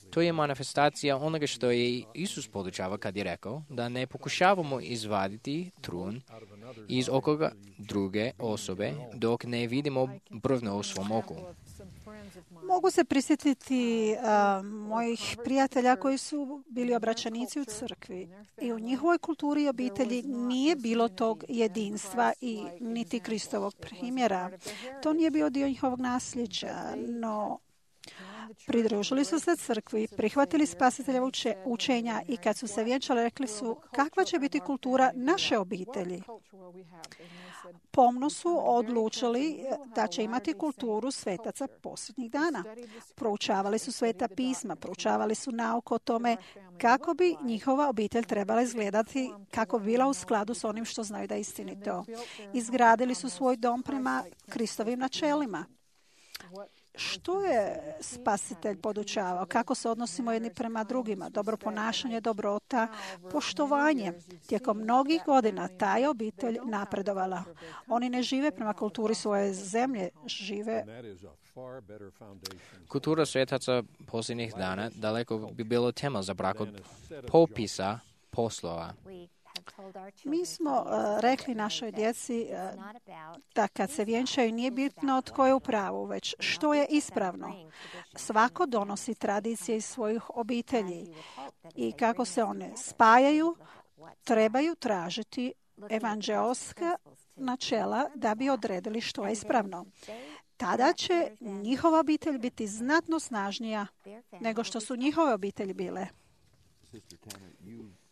To je manifestacija onoga što je Isus podučava kad je rekao da ne pokušavamo izvaditi trun iz okoga druge osobe dok ne vidimo brvno u svom oku. Mogu se prisjetiti mojih prijatelja koji su bili obraćanici u crkvi i u njihovoj kulturi i obitelji nije bilo tog jedinstva i niti Kristovog primjera. To nije bio dio njihovog nasljeđa, no pridružili su se crkvi, prihvatili spasiteljevo učenja i kad su se vjenčali rekli su kakva će biti kultura naše obitelji. Pomno su odlučili da će imati kulturu svetaca posljednjih dana. Proučavali su sveta pisma, proučavali su nauku o tome kako bi njihova obitelj trebala izgledati, kako bi bila u skladu s onim što znaju da je istinito. Izgradili su svoj dom prema Kristovim načelima. Što je spasitelj podučavao? Kako se odnosimo jedni prema drugima? Dobro ponašanje, dobrota, poštovanje. Tijekom mnogih godina ta je obitelj napredovala. Oni ne žive prema kulturi svoje zemlje, žive... Kultura svetaca posljednjih dana daleko bi bilo tema za brak od popisa poslova. Mi smo rekli našoj djeci da kad se vjenčaju nije bitno tko je u pravu, već što je ispravno. Svako donosi tradicije iz svojih obitelji i kako se one spajaju, trebaju tražiti evanđeoska načela da bi odredili što je ispravno. Tada će njihova obitelj biti znatno snažnija nego što su njihove obitelji bile.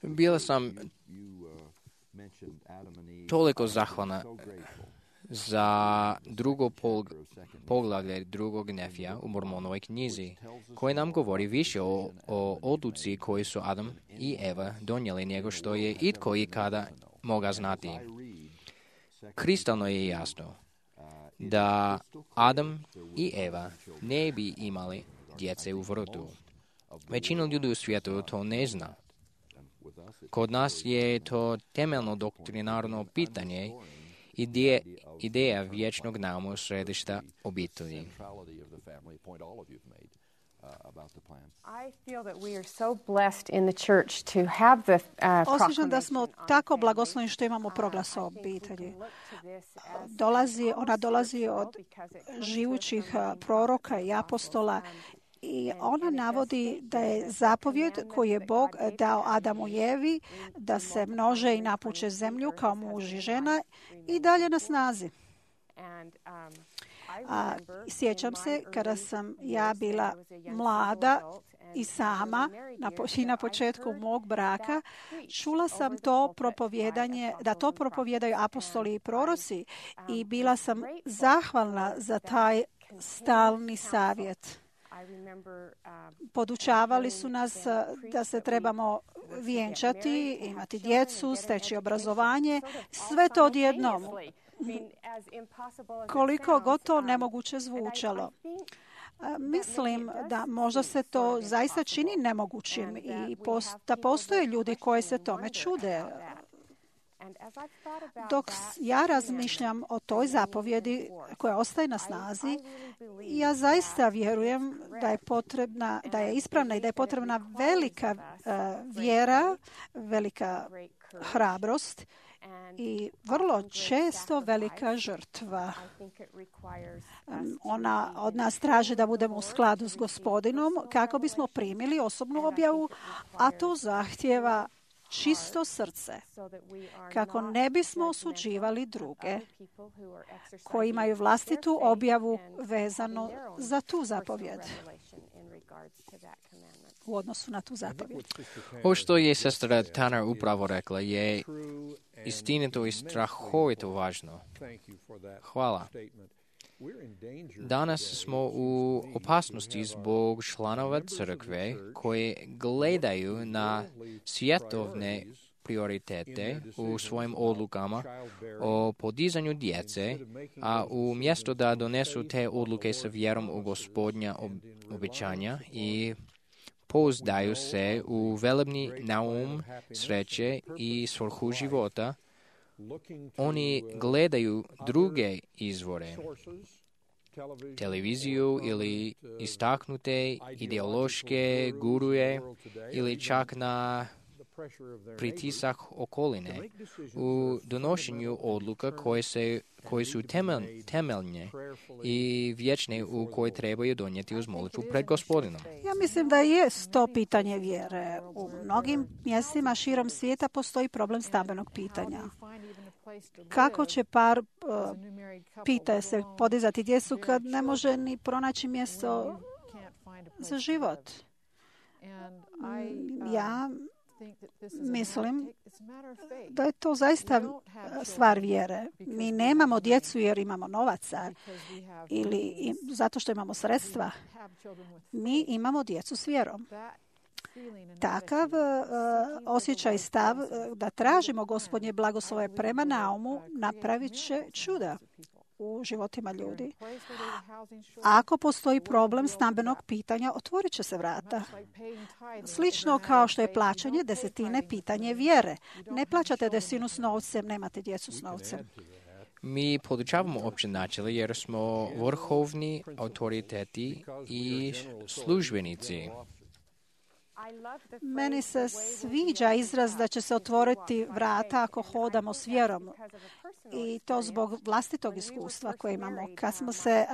Bila sam toliko zahvalna za drugo poglavlje drugog Nefija u Mormonovoj knjizi, koji nam govori više o odluci koju su Adam i Eva donijeli nego što je itko ikada mogao znati. Kristalno je jasno da Adam i Eva ne bi imali djece u vrtu. Većina ljudi u svijetu to ne zna. Kod nas je to temeljno doktrinarno pitanje ideja vječnog nauma središta obitelji. Osjećam da smo tako blagosloveni što imamo proglas o obitelji. Ona dolazi od živućih proroka i apostola i ona navodi da je zapovjed koju je Bog dao Adamu i Evi da se množe i napuče zemlju kao muž i žena i dalje na snazi. Sjećam se kada sam ja bila mlada i sama na početku mog braka, čula sam to propovijedanje, da to propovijedaju apostoli i proroci i bila sam zahvalna za taj stalni savjet. Podučavali su nas da se trebamo vjenčati, imati djecu, steći obrazovanje, sve to odjednom. Koliko god to nemoguće zvučalo. Mislim da možda se to zaista čini nemogućim i da postoje ljudi koji se tome čude. Dok ja razmišljam o toj zapovjedi koja ostaje na snazi, ja zaista vjerujem da je ispravna i da je potrebna velika vjera, velika hrabrost i vrlo često velika žrtva. Ona od nas traži da budemo u skladu s Gospodinom kako bismo primili osobnu objavu, a to zahtijeva čisto srce, kako ne bismo osuđivali druge koji imaju vlastitu objavu vezanu za tu zapovjed. U odnosu na tu zapovjed. Ovo što je sestra Tanner upravo rekla je istinito i strahovito važno. Hvala. Danas smo u opasnosti zbog članova crkve koji gledaju na svjetovne prioritete u svojim odlukama o podizanju djece, a umjesto da donesu te odluke sa vjerom u Gospodnja obećanja i pouzdaju se u velebni naum sreće i svrhu života, oni gledaju druge izvore, televiziju ili istaknute ideološke guruje ili čak na pritisak okoline u donošenju odluka koje su temeljne i vječne u koje trebaju donijeti uz molitvu pred Gospodinom. Ja mislim da je to pitanje vjere. U mnogim mjestima širom svijeta postoji problem stambenog pitanja. Kako će par pita se podizati djecu kad ne može ni pronaći mjesto za život? Ja mislim da je to zaista stvar vjere. Mi nemamo djecu jer imamo novaca ili zato što imamo sredstva. Mi imamo djecu s vjerom. Takav osjećaj i stav da tražimo Gospodnje blagoslove prema naumu napravit će čuda u životima ljudi. Ako postoji problem stambenog pitanja, otvorit će se vrata. Slično kao što je plaćanje desetine pitanje vjere. Ne plaćate desetinu s novcem, nemate djecu s novcem. Mi podučavamo opće načela jer smo vrhovni autoriteti i službenici. Meni se sviđa izraz da će se otvoriti vrata ako hodamo s vjerom. I to zbog vlastitog iskustva koje imamo. Kad smo se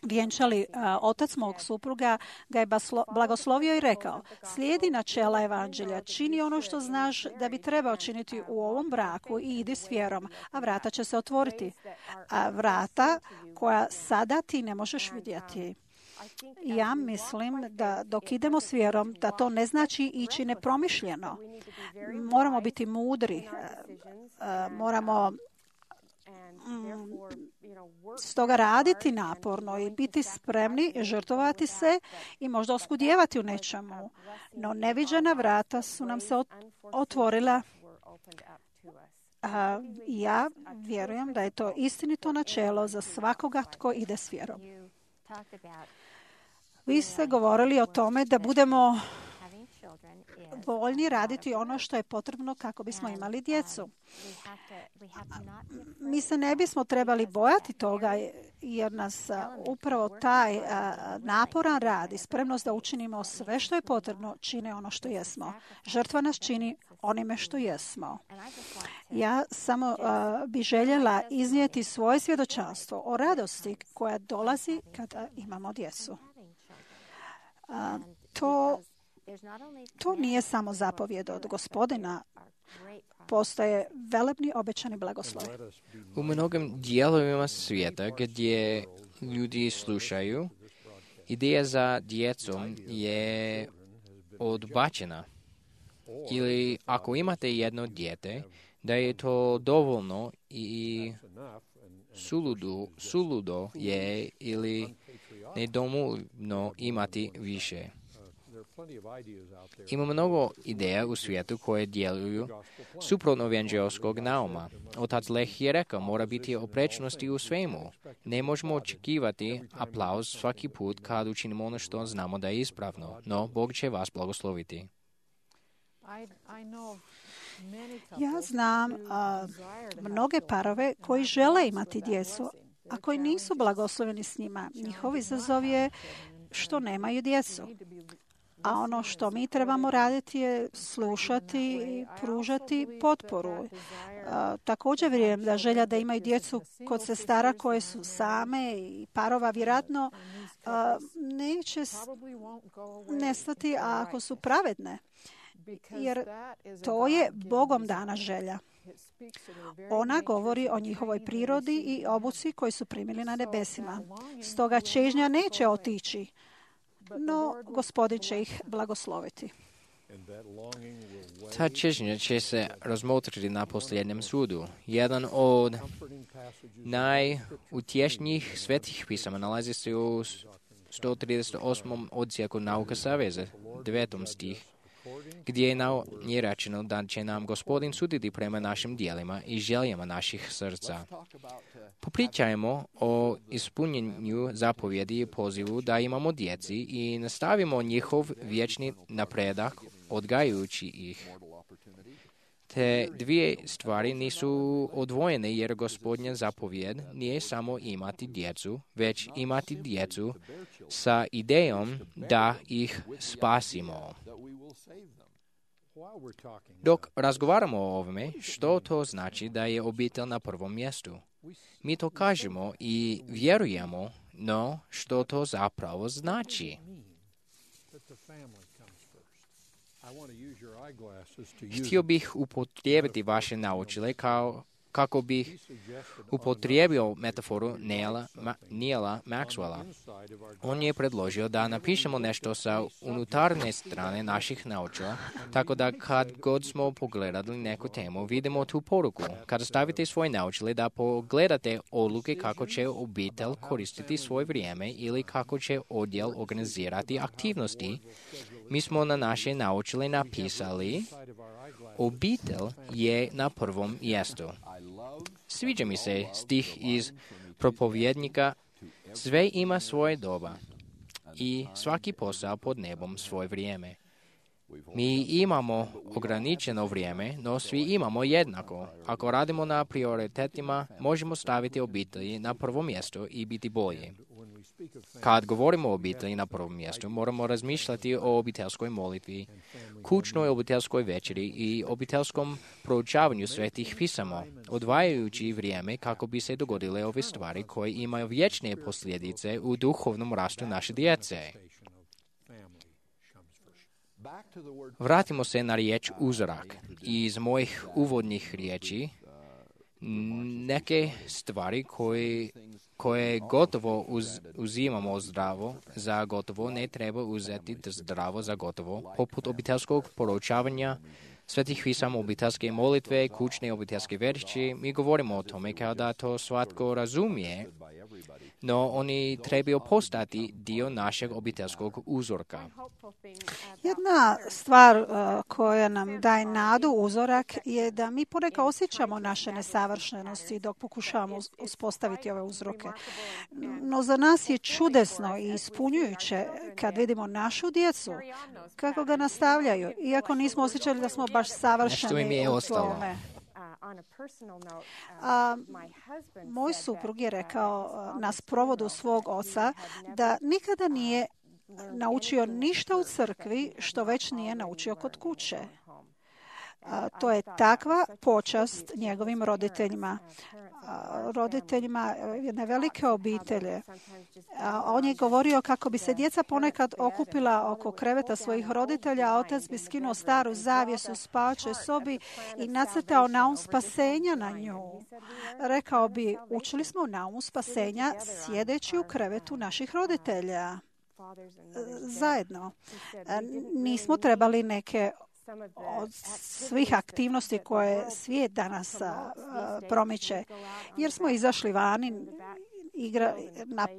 vjenčali, otac mog supruga ga je blagoslovio i rekao: slijedi načela evanđelja, čini ono što znaš da bi trebao činiti u ovom braku i idi s vjerom, a vrata će se otvoriti. A vrata koja sada ti ne možeš vidjeti. Ja mislim da dok idemo s vjerom, da to ne znači ići nepromišljeno. Moramo biti mudri, moramo stoga raditi naporno i biti spremni, žrtvovati se i možda oskudijevati u nečemu. No neviđena vrata su nam se otvorila. Ja vjerujem da je to istinito načelo za svakoga tko ide s vjerom. Vi ste govorili o tome da budemo voljni raditi ono što je potrebno kako bismo imali djecu. Mi se ne bismo trebali bojati toga jer nas upravo taj naporan rad i spremnost da učinimo sve što je potrebno čine ono što jesmo. Žrtva nas čini onime što jesmo. Ja samo bi željela iznijeti svoje svjedočanstvo o radosti koja dolazi kada imamo djecu. To nije samo zapovjed od Gospodina. Postoje velebni obećani blagoslov. U mnogim dijelovima svijeta gdje ljudi slušaju, ideja za djecom je odbačena. Ili ako imate jedno dijete, da je to dovoljno i suludo je ili nedovoljno imati više. Ima mnogo ideja u svijetu koje djeluju suprotno evanđelskog nauma. Otac Leh je rekao, mora biti oprečnosti u svemu. Ne možemo očekivati aplauz svaki put kad učinimo ono što znamo da je ispravno, no Bog će vas blagosloviti. Ja znam mnoge parove koji žele imati djecu, a koji nisu blagosloveni s njima. Njihov izazov je što nemaju djecu. A ono što mi trebamo raditi je slušati i pružati potporu. Također vjerujem da želja da imaju djecu kod sestara koje su same i parova vjerojatno neće nestati ako su pravedne. Jer to je Bogom dana želja. Ona govori o njihovoj prirodi i obuci koji su primili na nebesima. Stoga čežnja neće otići, no Gospodin će ih blagosloviti. Ta čežnja će se razmotriti na posljednjem sudu. Jedan od najutješnijih svetih pisama nalazi se u 138. odsjeku Nauka Saveza, 9. stih, gdje je rečeno da će nam Gospodin suditi prema našim dijelima i željama naših srca. Popričajmo o ispunjenju zapovjedi i pozivu da imamo djeci i nastavimo njihov vječni napredak odgajajući ih. Te dvije stvari nisu odvojene jer Gospodnja zapovjed nije samo imati djecu, već imati djecu sa idejom da ih spasimo. Dok razgovaramo o ovome, što to znači da je obitelj na prvom mjestu? Mi to kažemo i vjerujemo, no što to zapravo znači? Htio bih upotrijebiti vaše naočale kako bih upotrijebio metaforu Neila Maxwella. On je predložio da napišemo nešto sa unutarnje strane naših naočala, tako da kad god smo pogledali neku temu, vidimo tu poruku. Kada stavite svoje naočale da pogledate odluke kako će obitelj koristiti svoje vrijeme ili kako će odjel organizirati aktivnosti, mi smo na naše naočale napisali: obitelj je na prvom mjestu. Sviđa mi se stih iz Propovjednika: sve ima svoje doba i svaki posao pod nebom svoje vrijeme. Mi imamo ograničeno vrijeme, no svi imamo jednako. Ako radimo na prioritetima, možemo staviti obitelji na prvo mjesto i biti bolji. Kad govorimo o obitelji na prvom mjestu, moramo razmišljati o obiteljskoj molitvi, kućnoj obiteljskoj večeri i obiteljskom proučavanju svetih pisama, odvajajući vrijeme kako bi se dogodile ove stvari koje imaju vječne posljedice u duhovnom rastu naše djece. Vratimo se na riječ uzorak. Iz mojih uvodnih riječi, neke stvari koje gotovo uzimamo zdravo za gotovo ne treba uzeti zdravo za gotovo, poput obiteljskog proučavanja svetih pisama, obiteljske molitve, kućne obiteljske večeri. Mi govorimo o tome kao da to svatko razumije, no oni trebaju postati dio našeg obiteljskog uzorka. Jedna stvar koja nam daje nadu, uzorak, je da mi ponekad osjećamo naše nesavršenosti dok pokušavamo uspostaviti ove uzroke. No za nas je čudesno i ispunjujuće kad vidimo našu djecu, kako ga nastavljaju, iako nismo osjećali da smo baš savršeni u tome. Moj suprug je rekao na sprovodu svog oca da nikada nije naučio ništa u crkvi što već nije naučio kod kuće. To je takva počast njegovim roditeljima. Roditeljima jedne velike obitelje. On je govorio kako bi se djeca ponekad okupila oko kreveta svojih roditelja, a otac bi skinuo staru zavjesu u spavaćoj sobi i nacrtao naum spasenja na nju. Rekao bi, učili smo naum spasenja sjedeći u krevetu naših roditelja. Zajedno. Nismo trebali neke od svih aktivnosti koje svijet danas promiče, jer smo izašli vani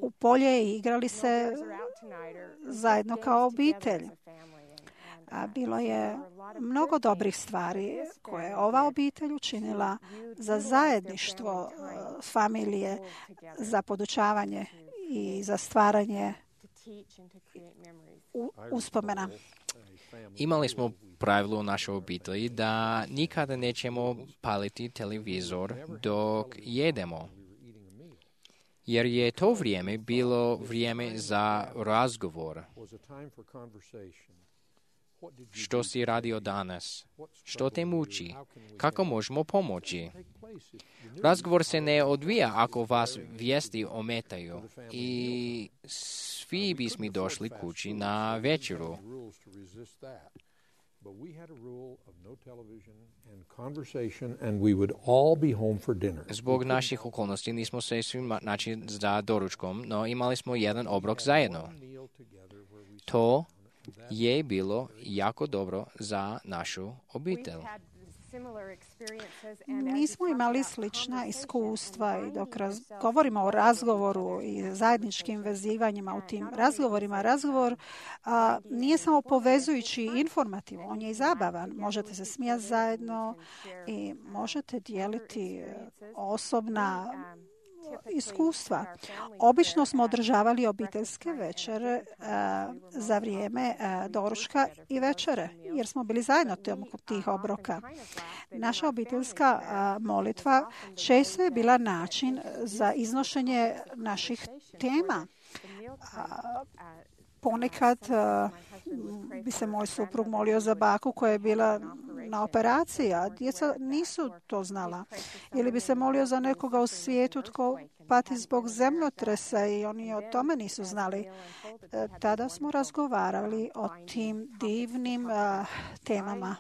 u polje i igrali se zajedno kao obitelj. Bilo je mnogo dobrih stvari koje je ova obitelj učinila za zajedništvo familije, za podučavanje i za stvaranje uspomena. Imali smo pravilo u našoj obitelji da nikada nećemo paliti televizor dok jedemo, jer je to vrijeme bilo vrijeme za razgovor. Što si radio danas? Što te muči? Kako možemo pomoći? Razgovor se ne odvija ako vas vijesti ometaju i svi bismo došli kući na večeru. But we had a rule of no television and conversation, and we would all be home for dinner. Zbog naših okolnosti nismo se svi naći za doručkom, no imali smo jedan obrok zajedno. To je bilo jako dobro za našu obitelj. Mi smo imali slična iskustva i dok govorimo o razgovoru i zajedničkim vezivanjima u tim razgovorima, razgovor nije samo povezujući i informativan, on je i zabavan. Možete se smijati zajedno i možete dijeliti osobna iskustva. Obično smo održavali obiteljske večere za vrijeme doručka i večere, jer smo bili zajedno tijekom tih obroka. Naša obiteljska molitva često je bila način za iznošenje naših tema. Ponekad bi se moj suprug molio za baku koja je bila na operaciji, a djeca nisu to znala. Ili bi se molio za nekoga u svijetu tko pati zbog zemljotresa i oni o tome nisu znali. Tada smo razgovarali o tim divnim temama.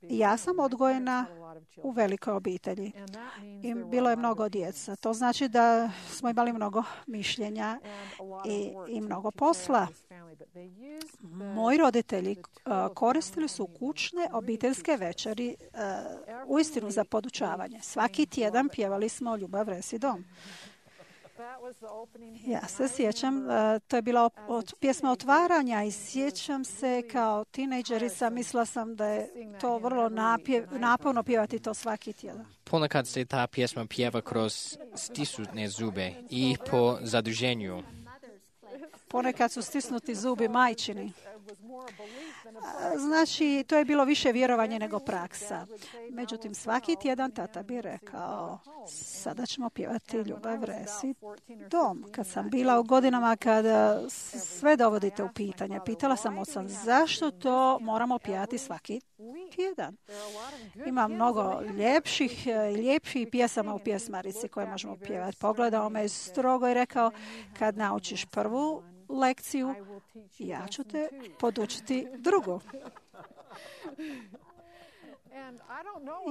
Ja sam odgojena u velikoj obitelji i bilo je mnogo djeca. To znači da smo imali mnogo mišljenja i mnogo posla. Moji roditelji koristili su kućne obiteljske večeri uistinu za podučavanje. Svaki tjedan pjevali smo Ljubav resi dom. Ja se sjećam, to je bila pjesma otvaranja i sjećam se kao tinejdžerica, mislila sam da je to vrlo naporno pjevati to svaki tjedan. Ponekad se ta pjesma pjeva kroz stisnute zube i po zaduženju. Ponekad su stisnuti zubi majčini. Znači, to je bilo više vjerovanje nego praksa. Međutim, svaki tjedan tata bi rekao, sada ćemo pjevati Ljubav resi dom. Kad sam bila u godinama kada sve dovodite u pitanje, pitala sam oca, zašto to moramo pjevati svaki tjedan? Ima mnogo lijepših pjesama u pjesmarici koje možemo pjevati. Pogledao me strogo i rekao, kad naučiš prvu lekciju, ja ću te podučiti drugu.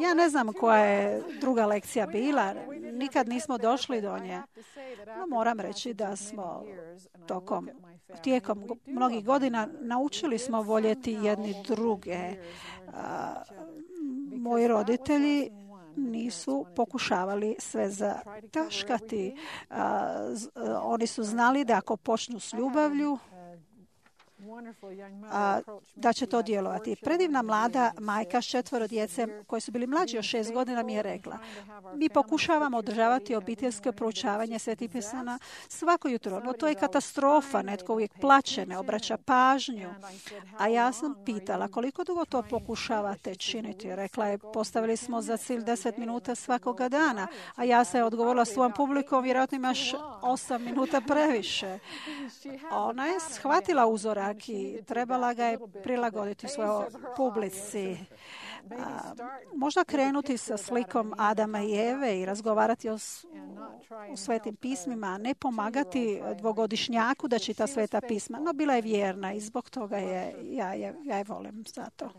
Ja ne znam koja je druga lekcija bila, nikad nismo došli do nje. No, moram reći da smo tijekom mnogih godina naučili smo voljeti jedni druge. Moji roditelji nisu pokušavali sve zataškati. Oni su znali da ako počnu s ljubavlju, da će to djelovati. Predivna mlada majka s 4 djece koji su bili mlađi od 6 godina mi je rekla, mi pokušavamo održavati obiteljsko proučavanje Svetih pisama svako jutro, no to je katastrofa, netko uvijek plače, ne obraća pažnju. A ja sam pitala, koliko dugo to pokušavate činiti? Rekla je, postavili smo za cilj 10 minuta svakoga dana, a ja sam odgovorila svojom publikom, vjerojatno imaš 8 minuta previše. Ona je shvatila uzorak i trebala ga je prilagoditi svojoj publici. Možda krenuti sa slikom Adama i Eve i razgovarati o svetim pismima, ne pomagati dvogodišnjaku da čita sveta pisma, no bila je vjerna i zbog toga ja je volim zato.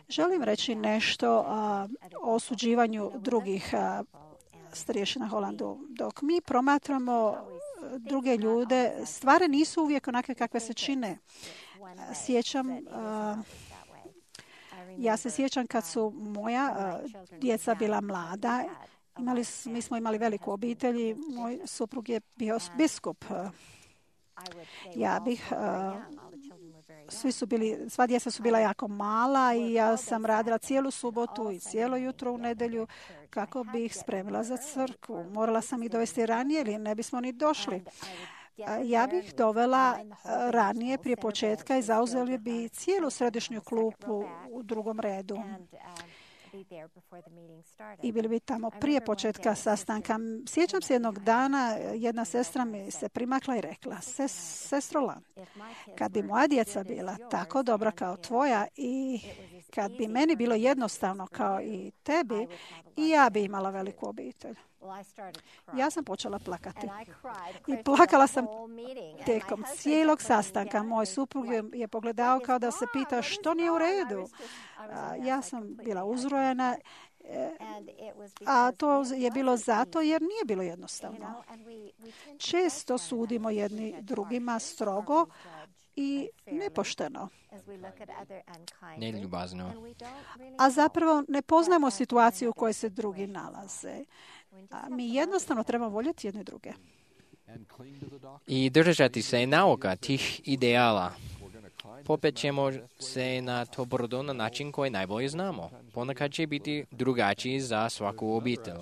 Želim reći nešto o osuđivanju drugih starješina Holandu. Dok mi promatramo druge ljude, stvari nisu uvijek onakve kakve se čine. Ja se sjećam kad su moja djeca bila mlada, mi smo imali veliku obitelj i moj suprug je bio biskup. Sva djeca su bila jako mala i ja sam radila cijelu subotu i cijelo jutro u nedjelju kako bi ih spremila za crkvu. Morala sam ih dovesti ranije ili ne bismo ni došli. Ja bih dovela ranije prije početka i zauzeli bi cijelu središnju klupu u drugom redu. I bili bi tamo prije početka sastanka. Sjećam se jednog dana, jedna sestra mi se primakla i rekla, sestro Lan, kad bi moja djeca bila tako dobra kao tvoja i kad bi meni bilo jednostavno kao i tebi, i ja bi imala veliku obitelj. Ja sam počela plakati. I plakala sam tijekom cijelog sastanka. Moj suprug je pogledao kao da se pita što nije u redu. Ja sam bila uzrojena, a to je bilo zato jer nije bilo jednostavno. Često sudimo jedni drugima strogo i nepošteno. Neljubazno. A zapravo ne poznajemo situaciju u kojoj se drugi nalaze. Mi jednostavno trebamo voljeti jedne druge. I držati se nauka tih ideala. Popet ćemo se na to brdo na način koji najbolje znamo. Ponekad će biti drugačiji za svaku obitelj.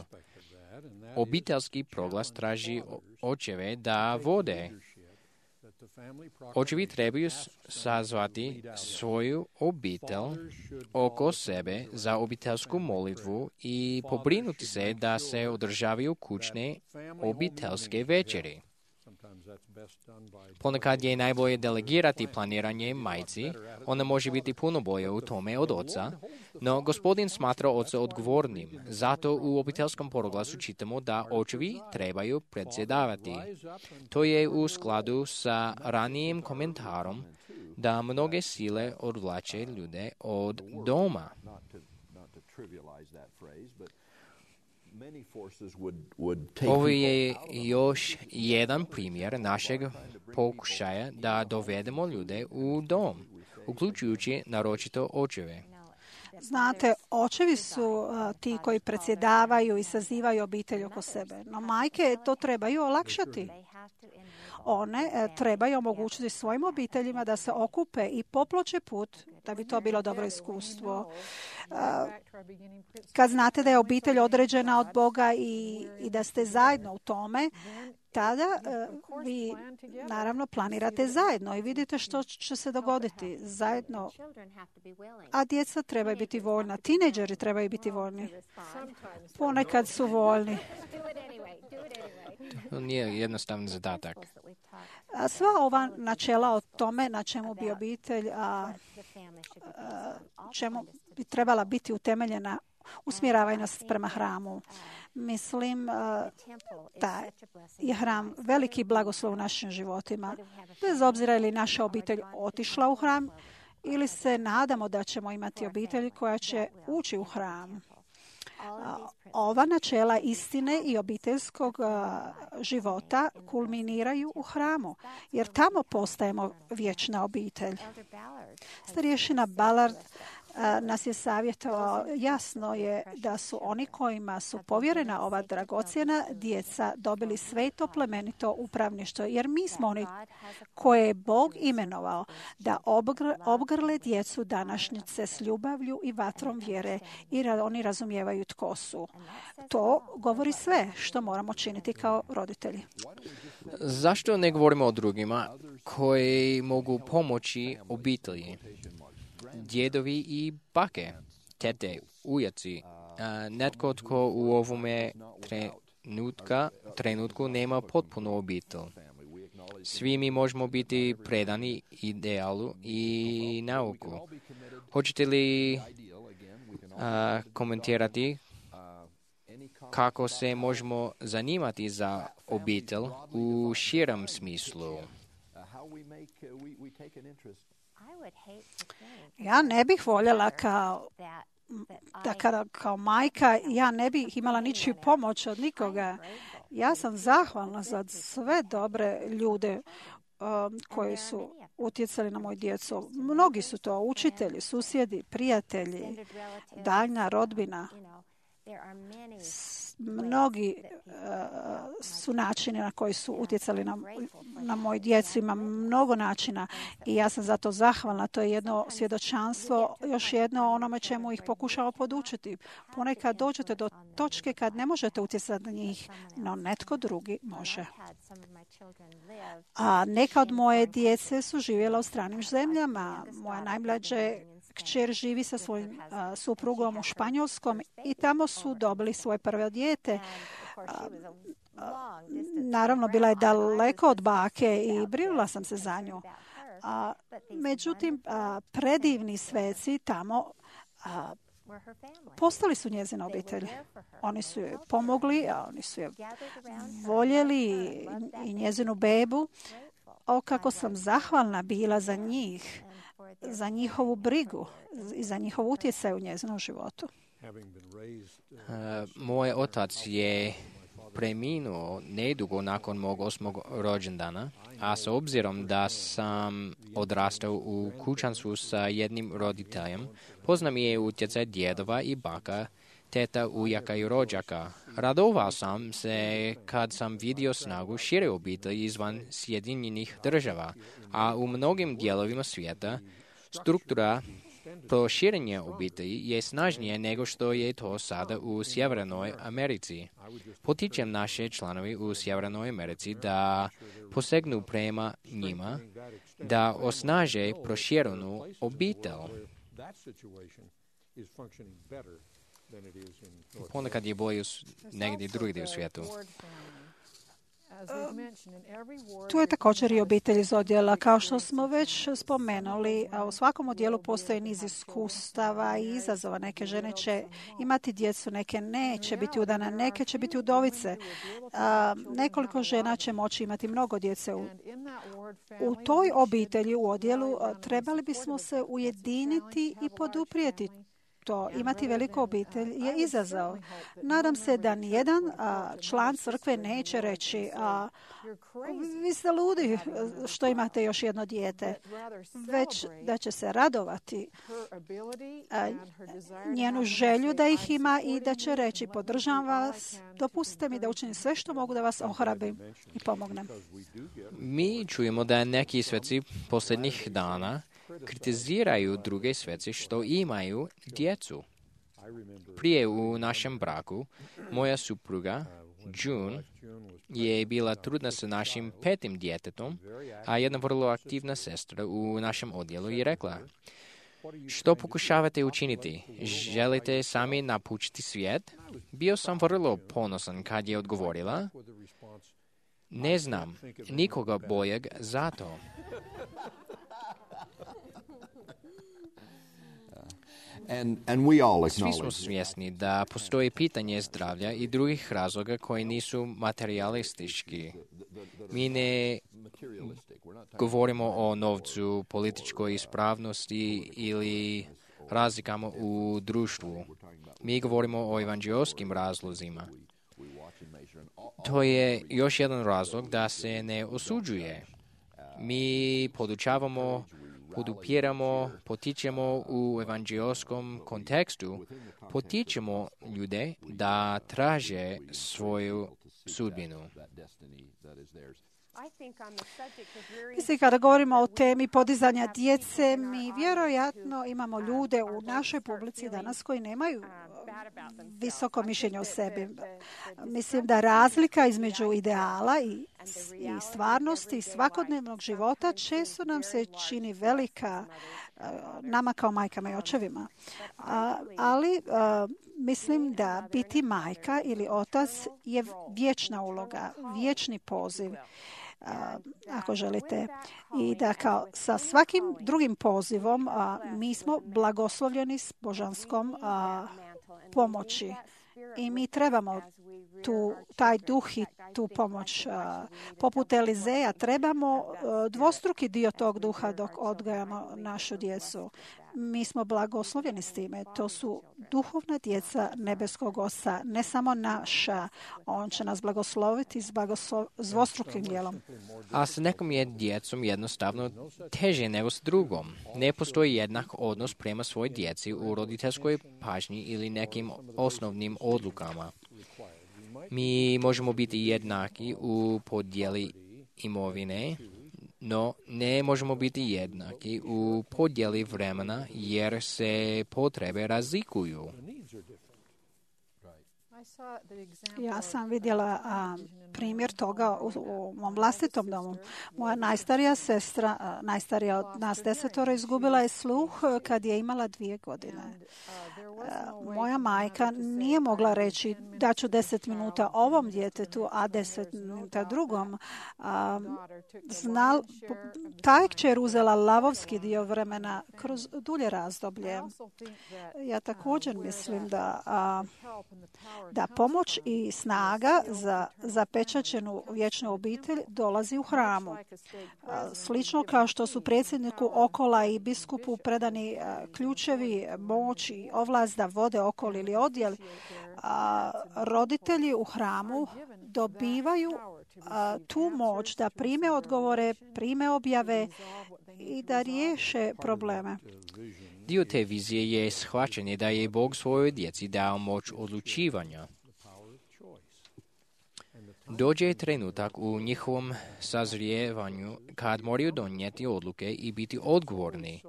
Obiteljski proglas traži očeve da vode. Očevi trebaju sazvati svoju obitelj oko sebe za obiteljsku molitvu i pobrinuti se da se održavaju kućne obiteljske večeri. Ponekad je najbolje delegirati planiranje majci, ona može biti puno bolje u tome od oca, no Gospodin smatra oca odgovornim. Zato u obiteljskom proglasu čitamo da očevi trebaju predsjedavati. To je u skladu sa ranijim komentarom da mnoge sile odvlače ljude od doma. Ovo je još jedan primjer našeg pokušaja da dovedemo ljude u dom, uključujući naročito očeve. Znate, očevi su ti koji predsjedavaju i sazivaju obitelj oko sebe, no majke to trebaju olakšati. One trebaju omogućiti svojim obiteljima da se okupe i poploče put da bi to bilo dobro iskustvo. Kad znate da je obitelj određena od Boga i da ste zajedno u tome, tada vi naravno planirate zajedno i vidite što će se dogoditi zajedno. A djeca trebaju biti voljna, tinejdžeri trebaju biti voljni. Ponekad su voljni. To nije jednostavni zadatak. Sva ova načela o tome na čemu bi obitelj čemu bi trebala biti utemeljena, usmjeravaju nas prema hramu. Mislim da je hram veliki blagoslov u našim životima. Bez obzira je li naša obitelj otišla u hram ili se nadamo da ćemo imati obitelj koja će ući u hram. Ova načela istine i obiteljskog života kulminiraju u hramu, jer tamo postajemo vječna obitelj. Starješina Ballard nas je savjetovao, jasno je da su oni kojima su povjerena ova dragocjena djeca dobili sveto plemenito upravništvo, jer mi smo oni koje je Bog imenovao da obgrle djecu današnjice s ljubavlju i vatrom vjere i oni razumijevaju tko su. To govori sve što moramo činiti kao roditelji. Zašto ne govorimo o drugima koji mogu pomoći obitelji? Djedovi i bake, tete, ujaci, netko tko u ovome trenutku nema potpunu obitelj. Svi mi možemo biti predani idealu i nauku. Hoćete li komentirati kako se možemo zanimati za obitelj u širem smislu? Ja ne bih voljela kao majka, ja ne bih imala ničiju pomoć od nikoga. Ja sam zahvalna za sve dobre ljude koji su utjecali na moju djecu. Mnogi su to učitelji, susjedi, prijatelji, daljna rodbina. Mnogi su načini na koji su utjecali na moju djecu. Ima mnogo načina i ja sam zato zahvalna. To je jedno svjedočanstvo, još jedno onome čemu ih pokušamo podučiti. Ponekad dođete do točke kad ne možete utjecati na njih, no netko drugi može. A neka od moje djece su živjela u stranim zemljama. Moja najmlađa kćer živi sa svojim suprugom u Španjolskom i tamo su dobili svoje prvo dijete. Naravno, bila je daleko od bake i brinula sam se za nju. Međutim, predivni sveci tamo postali su njezina obitelj. Oni su joj pomogli, a oni su je voljeli i njezinu bebu. O, kako sam zahvalna bila za njih, za njihovu brigu i za njihov utjecaj u njezinom životu. Moj otac je preminuo nedugo nakon mog 8. rođendana, a s obzirom da sam odrastao u kućanstvu sa jednim roditeljem, poznam je utjecaj djedova i baka, teta, ujaka i rođaka. Radovao sam se kad sam vidio snagu šire obitelji izvan Sjedinjenih Država, a u mnogim dijelovima svijeta struktura proširenja obitelji je snažnije nego što je to sada u Sjevernoj Americi. Potičem naše članovi u Sjevernoj Americi da posegnu prema njima, da osnaže proširenu obitelj. Ponekad je bolje negdje drugdje u svijetu. Tu je također i obitelj iz odjela. Kao što smo već spomenuli, u svakom odjelu postoji niz iskustava i izazova. Neke žene će imati djecu, neke neće biti udane, neke će biti udovice. Nekoliko žena će moći imati mnogo djece. U toj obitelji, u odjelu, trebali bismo se ujediniti i poduprijeti to. Imati veliku obitelj je izazov. Nadam se da nijedan član crkve neće reći vi ste ludi što imate još jedno dijete, već da će se radovati njenu želju da ih ima i da će reći podržavam vas, dopustite mi da učinim sve što mogu da vas ohrabrim i pomognem. Mi čujemo da neki sveci posljednjih dana kritiziraju druge svece što imaju djecu. Prije u našem braku moja supruga June je bila trudna sa našim 5. djetetom, a jedna vrlo aktivna sestra u našem odjelu je rekla: što pokušavate učiniti? Želite sami napučiti svijet? Bio sam vrlo ponosan kad je odgovorila: ne znam nikoga boljeg za to. Svi smo svjesni da postoji pitanje zdravlja i drugih razloga koji nisu materialistički. Mi ne govorimo o novcu, političkoj ispravnosti ili razlikama u društvu. Mi govorimo o evanđeoskim razlozima. To je još jedan razlog da se ne osuđuje. Mi podučavamo, podupiramo, potičemo u evanđeoskom kontekstu, potičemo ljude da traže svoju sudbinu. Mislim, kada govorimo o temi podizanja djece, mi vjerojatno imamo ljude u našoj publici danas koji nemaju visoko mišljenje o sebi. Mislim da razlika između ideala i stvarnosti svakodnevnog života često nam se čini velika nama kao majkama i očevima. Ali mislim da biti majka ili otac je vječna uloga, vječni poziv, ako želite. I da kao sa svakim drugim pozivom mi smo blagoslovljeni s božanskom pomoći. I mi trebamo taj duh i tu pomoć. Poput Elizeja trebamo dvostruki dio tog duha dok odgajamo našu djecu. Mi smo blagoslovljeni s time. To su duhovna djeca nebeskog Oca, ne samo naša. On će nas blagosloviti s dvostrukim dijelom. A s nekom je djecom jednostavno teže nego s drugom. Ne postoji jednak odnos prema svojoj djeci u roditeljskoj pažnji ili nekim osnovnim odlukama. Mi možemo biti jednaki u podjeli imovine, no ne možemo biti jednaki u podjeli vremena jer se potrebe razlikuju. Ja sam vidjela primjer toga u mom vlastitom domu. Moja najstarija sestra, najstarija od nas 10, izgubila je sluh kad je imala 2 godine. Moja majka nije mogla reći da ću 10 minuta ovom djetetu, a 10 minuta drugom. Ta kćer uzela lavovski dio vremena kroz dulje razdoblje. Ja također mislim da pomoć i snaga za zapečaćenu vječnu obitelj dolazi u hramu. Slično kao što su predsjedniku okola i biskupu predani ključevi, moć i ovlast da vode okol ili odjel, roditelji u hramu dobivaju tu moć da prime odgovore, prime objave i da riješe probleme. Dio te vizije je shvaćanje da je Bog svojoj djeci dao moć odlučivanja. Dođe trenutak u njihovom sazrijevanju kad moraju donijeti odluke i biti odgovorni.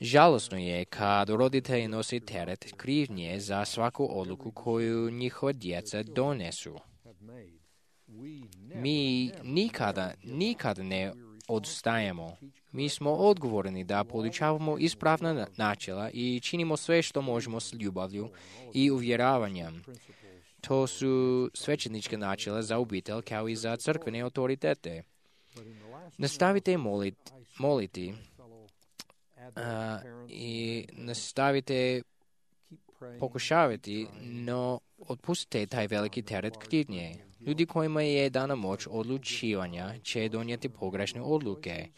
Žalosno je kad roditelji nose teret krivnje za svaku odluku koju njihova djeca donesu. Mi nikada ne odstajemo. Mi smo odgovorni da podučavamo ispravna načela i činimo sve što možemo s ljubavlju i uvjeravanjem. To su svećenička načela za obitelj kao i za crkvene autoritete. Nastavite moliti i nastavite pokušavati, no otpustite taj veliki teret krivnje. Ljudi kojima je dana moć odlučivanja će donijeti pogrešne odluke.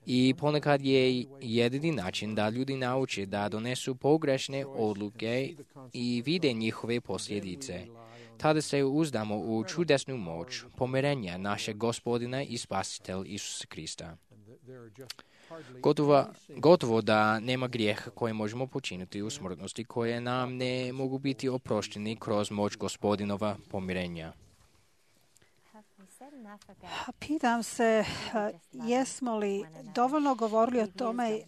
I ponekad je jedini način da ljudi nauče da donesu pogrešne odluke i vide njihove posljedice. Tada se uzdamo u čudesnu moć pomirenja našeg Gospodina i Spasitelja Isusa Krista. Gotovo da nema grijeha koje možemo počiniti u smrtnosti koje nam ne mogu biti oprošteni kroz moć Gospodinova pomirenja. Pitam se jesmo li dovoljno govorili o tome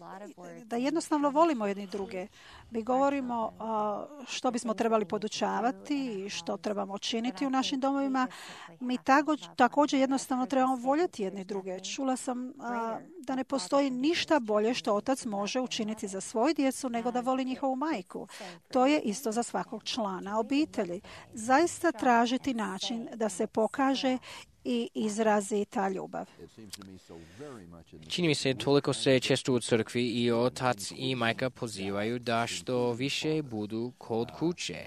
da jednostavno volimo jedni druge. Mi govorimo što bismo trebali podučavati i što trebamo činiti u našim domovima. Mi također jednostavno trebamo voljeti jedni druge. Čula sam da ne postoji ništa bolje što otac može učiniti za svoju djecu nego da voli njihovu majku. To je isto za svakog člana obitelji. Zaista tražiti način da se pokaže i izrazi ta ljubav. Čini mi se, toliko se često u crkvi i otac i majka pozivaju da što više budu kod kuće.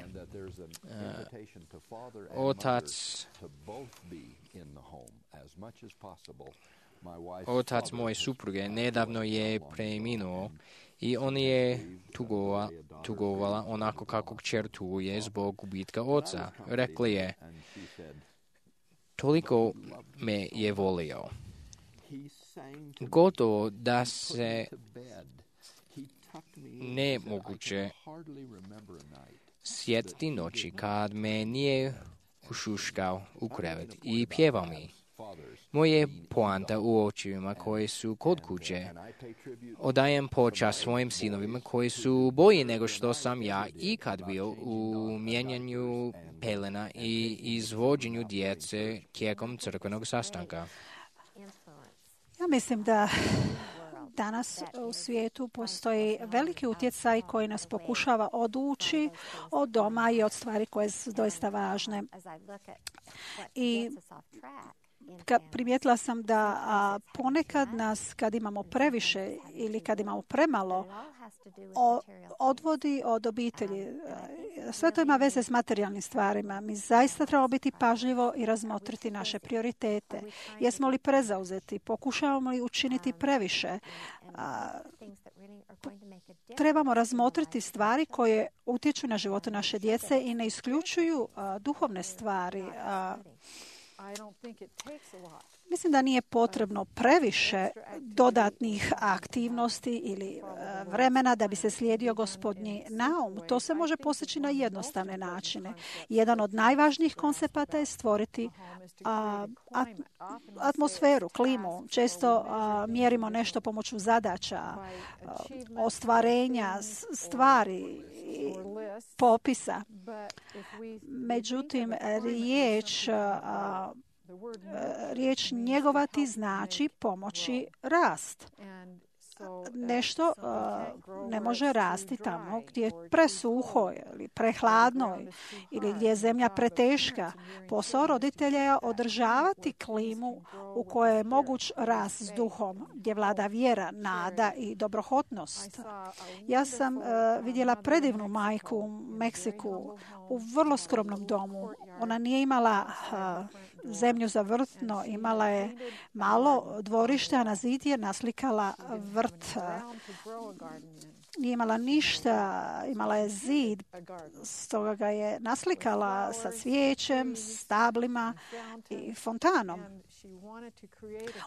Otac moje supruge nedavno je preminuo i on je tugovala onako kako kćer tuguje zbog gubitka oca. Rekla je, toliko me je volio. Gotovo da se nemoguće sjetiti noći kad me nije ušuškao u krevet i pjevao mi. Moje poanta u očevima koji su kod kuće. Odajem počast svojim sinovima koji su bolji nego što sam ja ikad bio u mijenjanju pelena i izvođenju djece tijekom crkvenog sastanka. Ja mislim da danas u svijetu postoji veliki utjecaj koji nas pokušava odući od doma i od stvari koje su doista važne. I primijetila sam da ponekad nas, kad imamo previše ili kad imamo premalo, odvodi od obitelji. Sve to ima veze s materijalnim stvarima. Mi zaista trebamo biti pažljivo i razmotriti naše prioritete. Jesmo li prezauzeti? Pokušavamo li učiniti previše? Trebamo razmotriti stvari koje utječu na životu naše djece i ne isključuju duhovne stvari. Mislim da nije potrebno previše dodatnih aktivnosti ili vremena da bi se slijedio Gospodnji naum. To se može postići na jednostavne načine. Jedan od najvažnijih koncepata je stvoriti atmosferu, klimu. Često mjerimo nešto pomoću zadaća, ostvarenja, stvari, popisa. Međutim, riječ njegovati znači pomoći rast. Nešto ne može rasti tamo gdje je presuho ili prehladno ili gdje je zemlja preteška. Posao roditelja je održavati klimu u kojoj je moguć rast s duhom, gdje vlada vjera, nada i dobrohotnost. Ja sam vidjela predivnu majku u Meksiku u vrlo skromnom domu. Ona nije imala zemlju za vrt, no imala je malo dvorište, a na zid je naslikala vrt. Nije imala ništa, imala je zid, stoga ga je naslikala sa cvijećem, stablima i fontanom.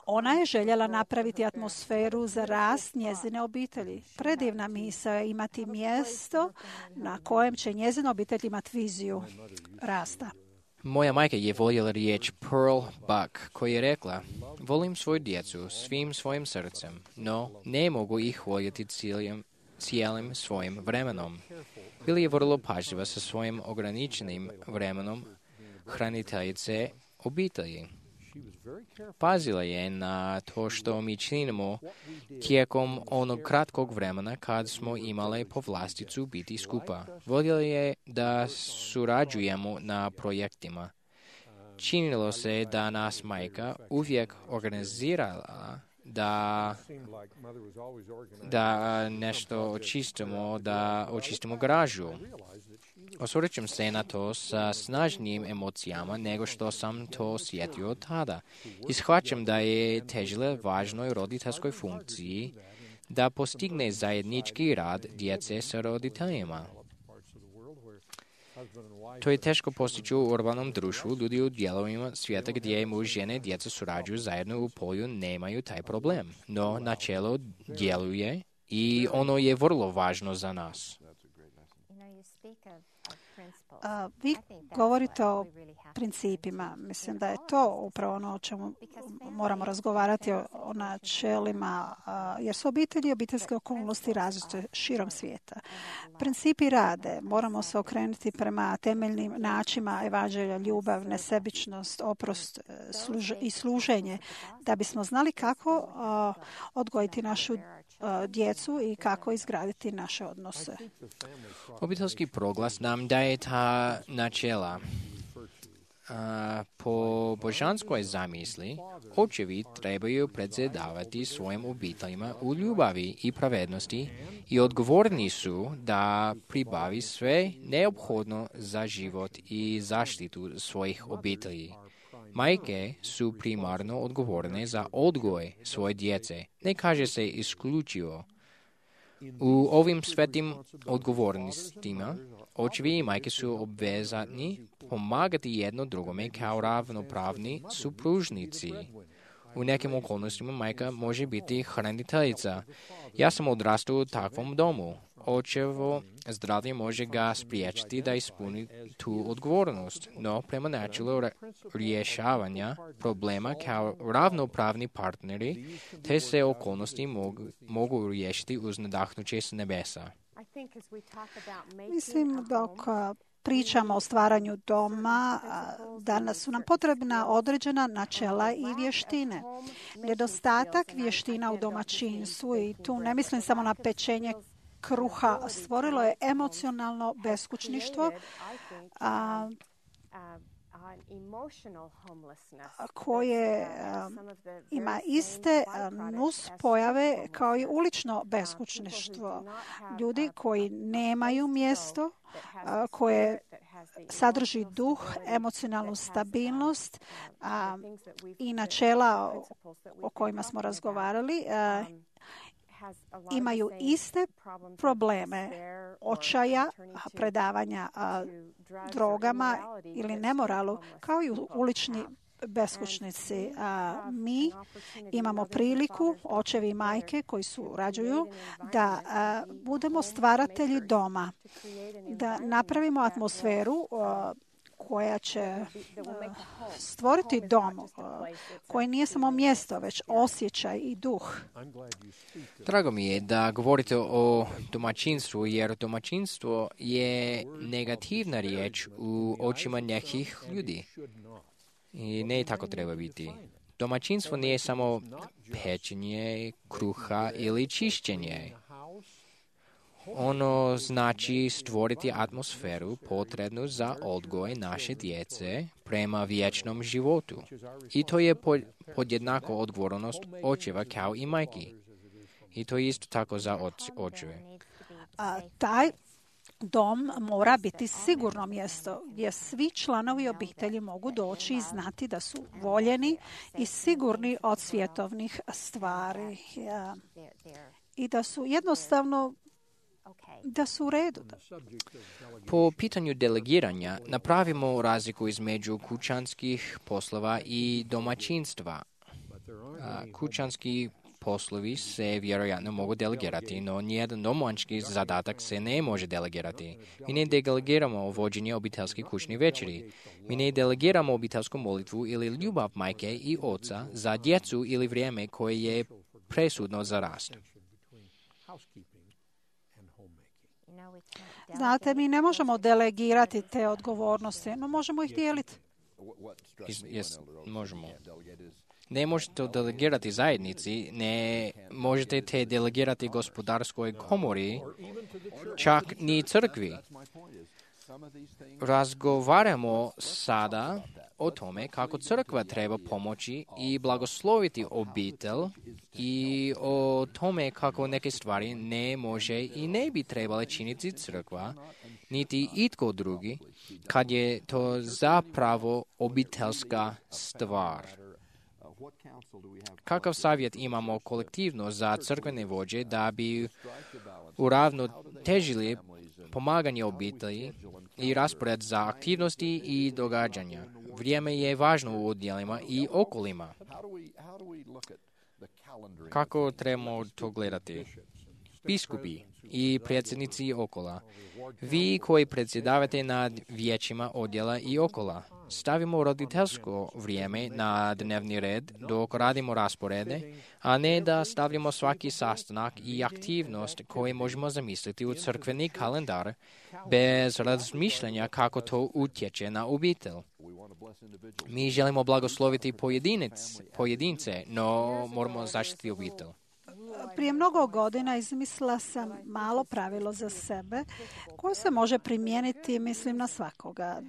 Ona je željela napraviti atmosferu za rast njezine obitelji. Predivna misao je imati mjesto na kojem će njezina obitelj imati viziju rasta. Moja majka je voljela riječ Pearl Buck, koja je rekla, volim svoju djecu svim svojim srcem, no ne mogu ih voljeti cijelim svojim vremenom. Bila je vrlo pažljiva sa svojim ograničenim vremenom hraniteljice obitelji. Pazila je na to što mi činimo tijekom onog kratkog vremena kad smo imali povlasticu biti skupa. Voljela je da surađujemo na projektima. Činilo se da nas majka uvijek organizirala da nešto očistimo garažu. Osvrćem se na to sa snažnijim emocijama nego što sam to osjetio tada. I shvaćam da je težila važnoj roditeljskoj funkciji da postigne zajednički rad djece sa roditeljima. To je teško postići u urbanom društvu. Ljudi u dijelovima svijeta gdje muž, žene i djeca surađuju zajedno u polju nemaju taj problem. No, načelo djeluje i ono je vrlo važno za nas. Vi govorite o principima. Mislim da je to upravo ono o čemu moramo razgovarati, o načelima, jer su obitelji i obiteljske okolnosti različite širom svijeta. Principi rade. Moramo se okrenuti prema temeljnim načinima evanđelja, ljubav, nesebičnost, oprost i služenje, da bismo znali kako odgojiti našu djecu i kako izgraditi naše odnose. Obiteljski proglas nam daje ta načela. Po božanskoj zamisli, očevi trebaju predsjedavati svojim obiteljima u ljubavi i pravednosti i odgovorni su da pribavi sve neophodno za život i zaštitu svojih obitelji. Majke su primarno odgovorne za odgoj svoje djece. Ne kaže se isključivo. U ovim svetim odgovornostima očevi i majke su obvezatni pomagati jedno drugome kao ravnopravni supružnici. U nekim okolnostima majka može biti hraniteljica. Ja sam odrastao u takvom domu. Očevo zdravlje može ga spriječiti da ispuni tu odgovornost, no prema načelu rješavanja problema kao ravnopravni partneri, te se okolnosti mogu riješiti uz nadahnuće s nebesa. Mislim, dok pričamo o stvaranju doma, danas su nam potrebna određena načela i vještine. Nedostatak vještina u domaćinstvu, i tu ne mislim samo na pečenje kruha, stvorilo je emocionalno beskućništvo koje ima iste nuspojave kao i ulično beskućništvo. Ljudi koji nemaju mjesto, koje sadrži duh, emocionalnu stabilnost i načela o kojima smo razgovarali, imaju iste probleme očaja, predavanja drogama ili nemoralu, kao i ulični beskućnici. Mi imamo priliku, očevi i majke koji surađuju, da budemo stvaratelji doma, da napravimo atmosferu koja će stvoriti dom koji nije samo mjesto, već osjećaj i duh. Drago mi je da govorite o domaćinstvu, jer domaćinstvo je negativna riječ u očima nekih ljudi. I ne tako treba biti. Domaćinstvo nije samo pečenje kruha ili čišćenje. Ono znači stvoriti atmosferu potrebnu za odgoj naše djece prema vječnom životu. I to je podjednako odgovornost očeva kao i majki. I to je isto tako za očeve. Taj dom mora biti sigurno mjesto gdje svi članovi obitelji mogu doći i znati da su voljeni i sigurni od svjetovnih stvari. I da su jednostavno da su u redu. Po pitanju delegiranja napravimo razliku između kućanskih poslova i domaćinstva. Kućanski poslovi se vjerojatno mogu delegirati, no nijedan domaćinski zadatak se ne može delegirati. Mi ne delegiramo vođenje obiteljskih kućnih večeri. Mi ne delegiramo obiteljsku molitvu ili ljubav majke i oca za djecu ili vrijeme koje je presudno za rast. Znate, mi ne možemo delegirati te odgovornosti, no možemo ih dijeliti. Možemo. Ne možete delegirati zajednici, ne možete te delegirati gospodarskoj komori, čak ni crkvi. Razgovaramo sada o tome kako crkva treba pomoći i blagosloviti obitelj i o tome kako neke stvari ne može i ne bi trebale činiti crkva, niti itko drugi, kad je to zapravo obiteljska stvar. Kakav savjet imamo kolektivno za crkvene vođe da bi uravnotežili pomaganje obitelji i raspored za aktivnosti i događanja? Vrijeme je važno u odjelima i okolima. Kako trebamo to gledati? biskupi i predsjednici okola. Vi koji predsjedavate nad vijećima odjela i okola, stavimo roditeljsko vrijeme na dnevni red dok radimo rasporede, a ne da stavljamo svaki sastanak i aktivnost koje možemo zamisliti u crkveni kalendar bez razmišljanja kako to utječe na obitelj. Mi želimo blagosloviti pojedince, no moramo zaštiti obitelj. Prije mnogo godina izmislila sam malo pravilo za sebe koje se može primijeniti, mislim, na svakoga.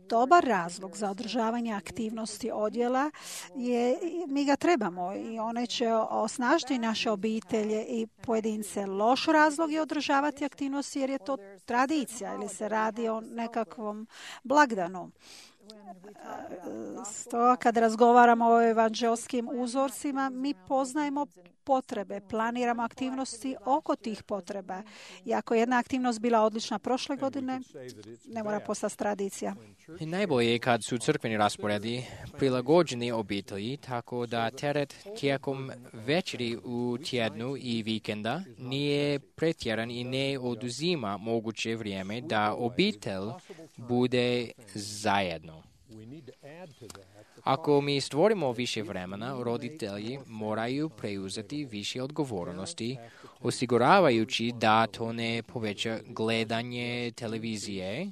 Dobar razlog za održavanje aktivnosti odjela je, mi ga trebamo i one će osnažiti naše obitelje i pojedince. Loš razlog je održavati aktivnosti jer je to tradicija ili se radi o nekakvom blagdanu. Stoga kad razgovaramo o evanđelskim uzorcima, mi poznajemo potrebe, planiramo aktivnosti oko tih potreba. I ako je jedna aktivnost bila odlična prošle godine, ne mora postati tradicija. I najbolje je kad su crkveni rasporedi prilagođeni obitelji, tako da teret tijekom večeri u tjednu i vikenda nije pretjeran i ne oduzima moguće vrijeme da obitelj bude zajedno. Ako mi stvorimo više vremena, roditelji moraju preuzeti više odgovornosti, osiguravajući da to ne poveća gledanje televizije,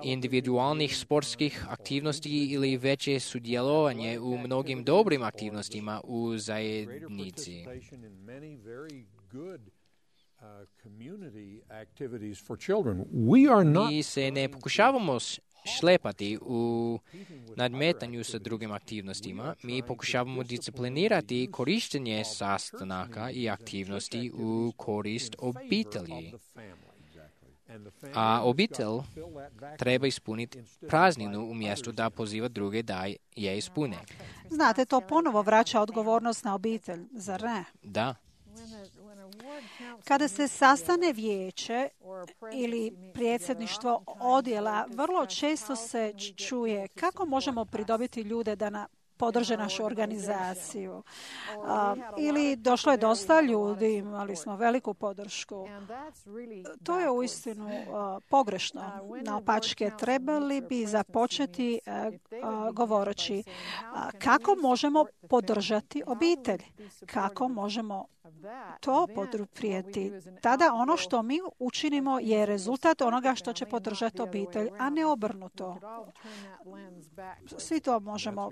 individualnih sportskih aktivnosti ili veće sudjelovanje u mnogim dobrim aktivnostima u zajednici. Mi se ne pokušavamo šlepati u nadmetanju sa drugim aktivnostima. Mi pokušavamo disciplinirati korištenje sastanaka i aktivnosti u korist obitelji. A obitelj treba ispuniti prazninu umjesto da poziva druge da je ispune. Znate, to ponovo vraća odgovornost na obitelj, zar ne? Da. Kada se sastane vijeće ili predsjedništvo odjela, vrlo često se čuje kako možemo pridobiti ljude da podrže našu organizaciju. Ili došlo je dosta ljudi, imali smo veliku podršku. To je uistinu pogrešno. Naopačke, trebali bi započeti govoreći kako možemo podržati obitelj, kako možemo to poduprijeti. Tada ono što mi učinimo je rezultat onoga što će podržati obitelj, a ne obrnuto. Svi to možemo.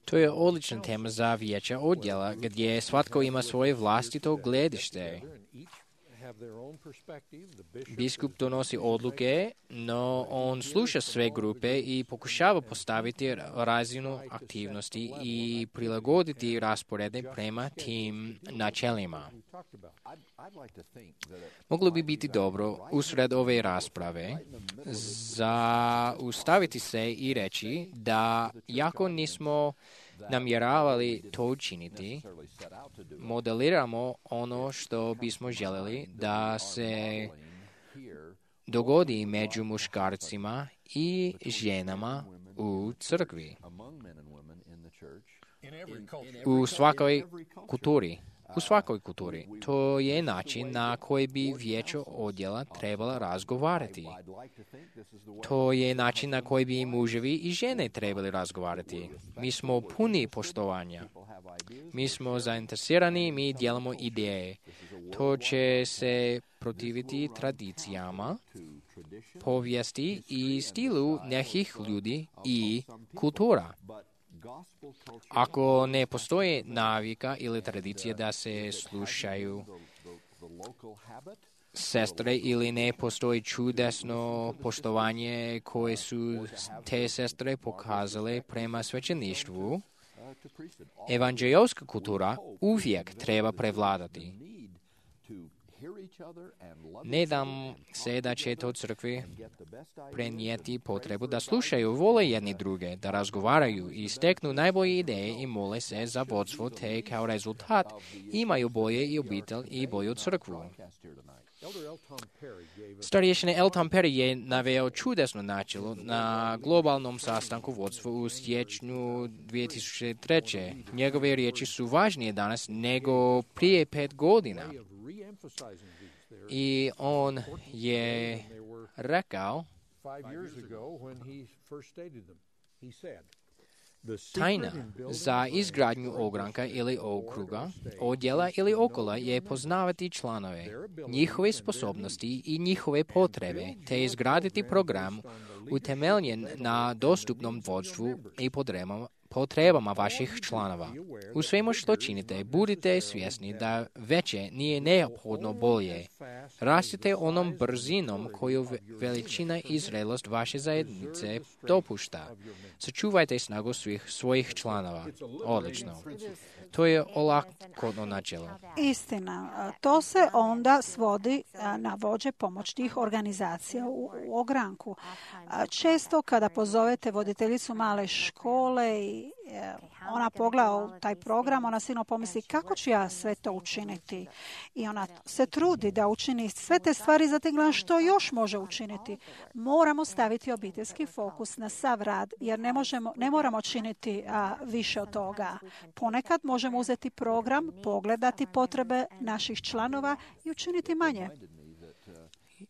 To je odlična tema za vijeća odjela, gdje svatko ima svoje vlastito gledište. Biskup donosi odluke, no on sluša sve grupe i pokušava postaviti razinu aktivnosti i prilagoditi rasporede prema tim načelima. Moglo bi biti dobro usred ove rasprave zaustaviti se i reći da jako nismo namjeravali to učiniti, modeliramo ono što bismo željeli da se dogodi među muškarcima i ženama u crkvi. U svakoj kulturi. To je način na koji bi vijeće odjela trebala razgovarati. To je način na koji bi muževi i žene trebali razgovarati. Mi smo puni poštovanja. Mi smo zainteresirani, mi dijelimo ideje. To će se protiviti tradicijama, povijesti i stilu nekih ljudi i kultura. Ako ne postoji navika ili tradicija da se slušaju sestre ili ne postoji čudesno poštovanje koje su te sestre pokazale prema svećeništvu, evanđelska kultura uvijek treba prevladati. Ne dam se da će to crkvi prenijeti potrebu da slušaju, vole jedni druge, da razgovaraju i steknu najbolje ideje i mole se za vodstvo, te kao rezultat imaju bolje i obitelj i bolju crkvu. Starješina L. Tom Perry je naveo čudesno načelo na globalnom sastanku vodstva u siječnju 2003. Njegove riječi su važnije danas nego prije 5 godina. I on je rekao, tajna za izgradnju ogranka ili okruga, odjela ili okola je poznavati članove, njihove sposobnosti i njihove potrebe, te izgraditi program utemeljen na dostupnom vodstvu i potrebama vaših članova. U svemu što činite, budite svjesni da veće nije neophodno bolje. Rastite onom brzinom koju veličina i zrelost vaše zajednice dopušta. Sačuvajte snagu svojih članova. Odlično. To je olakotno načelo. Istina. To se onda svodi na vođe pomoćnih organizacija u ogranku. Često kada pozovete voditeljicu male škole i ona pogleda u taj program, ona sigurno pomisli kako ću ja sve to učiniti. I ona se trudi da učini sve te stvari, zatim gleda što još može učiniti. Moramo staviti obiteljski fokus na sav rad, jer ne moramo činiti više od toga. Ponekad možemo uzeti program, pogledati potrebe naših članova i učiniti manje.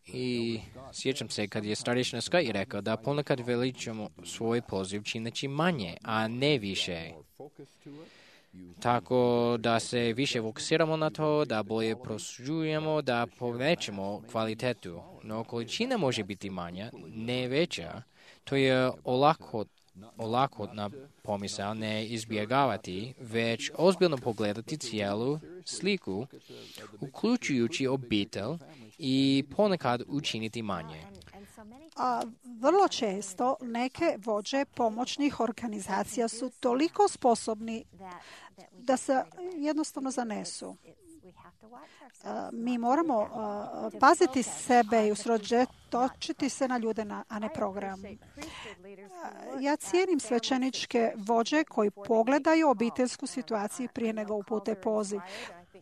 I sjećam se kad je starješina Scott rekao da ponekad veličamo svoj poziv čineći manje, a ne više. Tako da se više fokusiramo na to, da bolje prosuđujemo, da povećamo kvalitetu. No količina može biti manja, ne veća. To je olakotna pomisao, ne izbjegavati, već ozbiljno pogledati cijelu sliku, uključujući obitelj i ponekad učiniti manje. Vrlo često neke vođe pomoćnih organizacija su toliko sposobni da se jednostavno zanesu. Mi moramo paziti sebe i usredotočiti se na ljude, a ne program. Ja cijenim svećeničke vođe koji pogledaju obiteljsku situaciju prije nego upute poziv.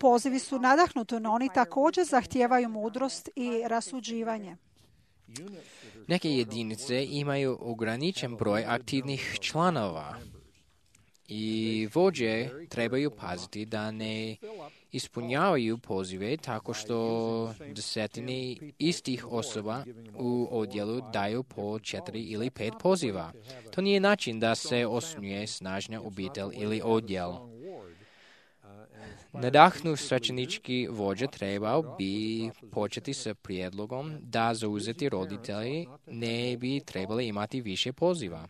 Pozivi su nadahnuti, no oni također zahtijevaju mudrost i rasuđivanje. Neke jedinice imaju ograničen broj aktivnih članova i vođe trebaju paziti da ne ispunjavaju pozive tako što desetine istih osoba u odjelu daju po 4 ili 5 poziva. To nije način da se osnuje snažna obitelj ili odjel. Nadahnuti svećenički vođa trebao bi početi sa prijedlogom da zauzeti roditelji ne bi trebali imati više poziva.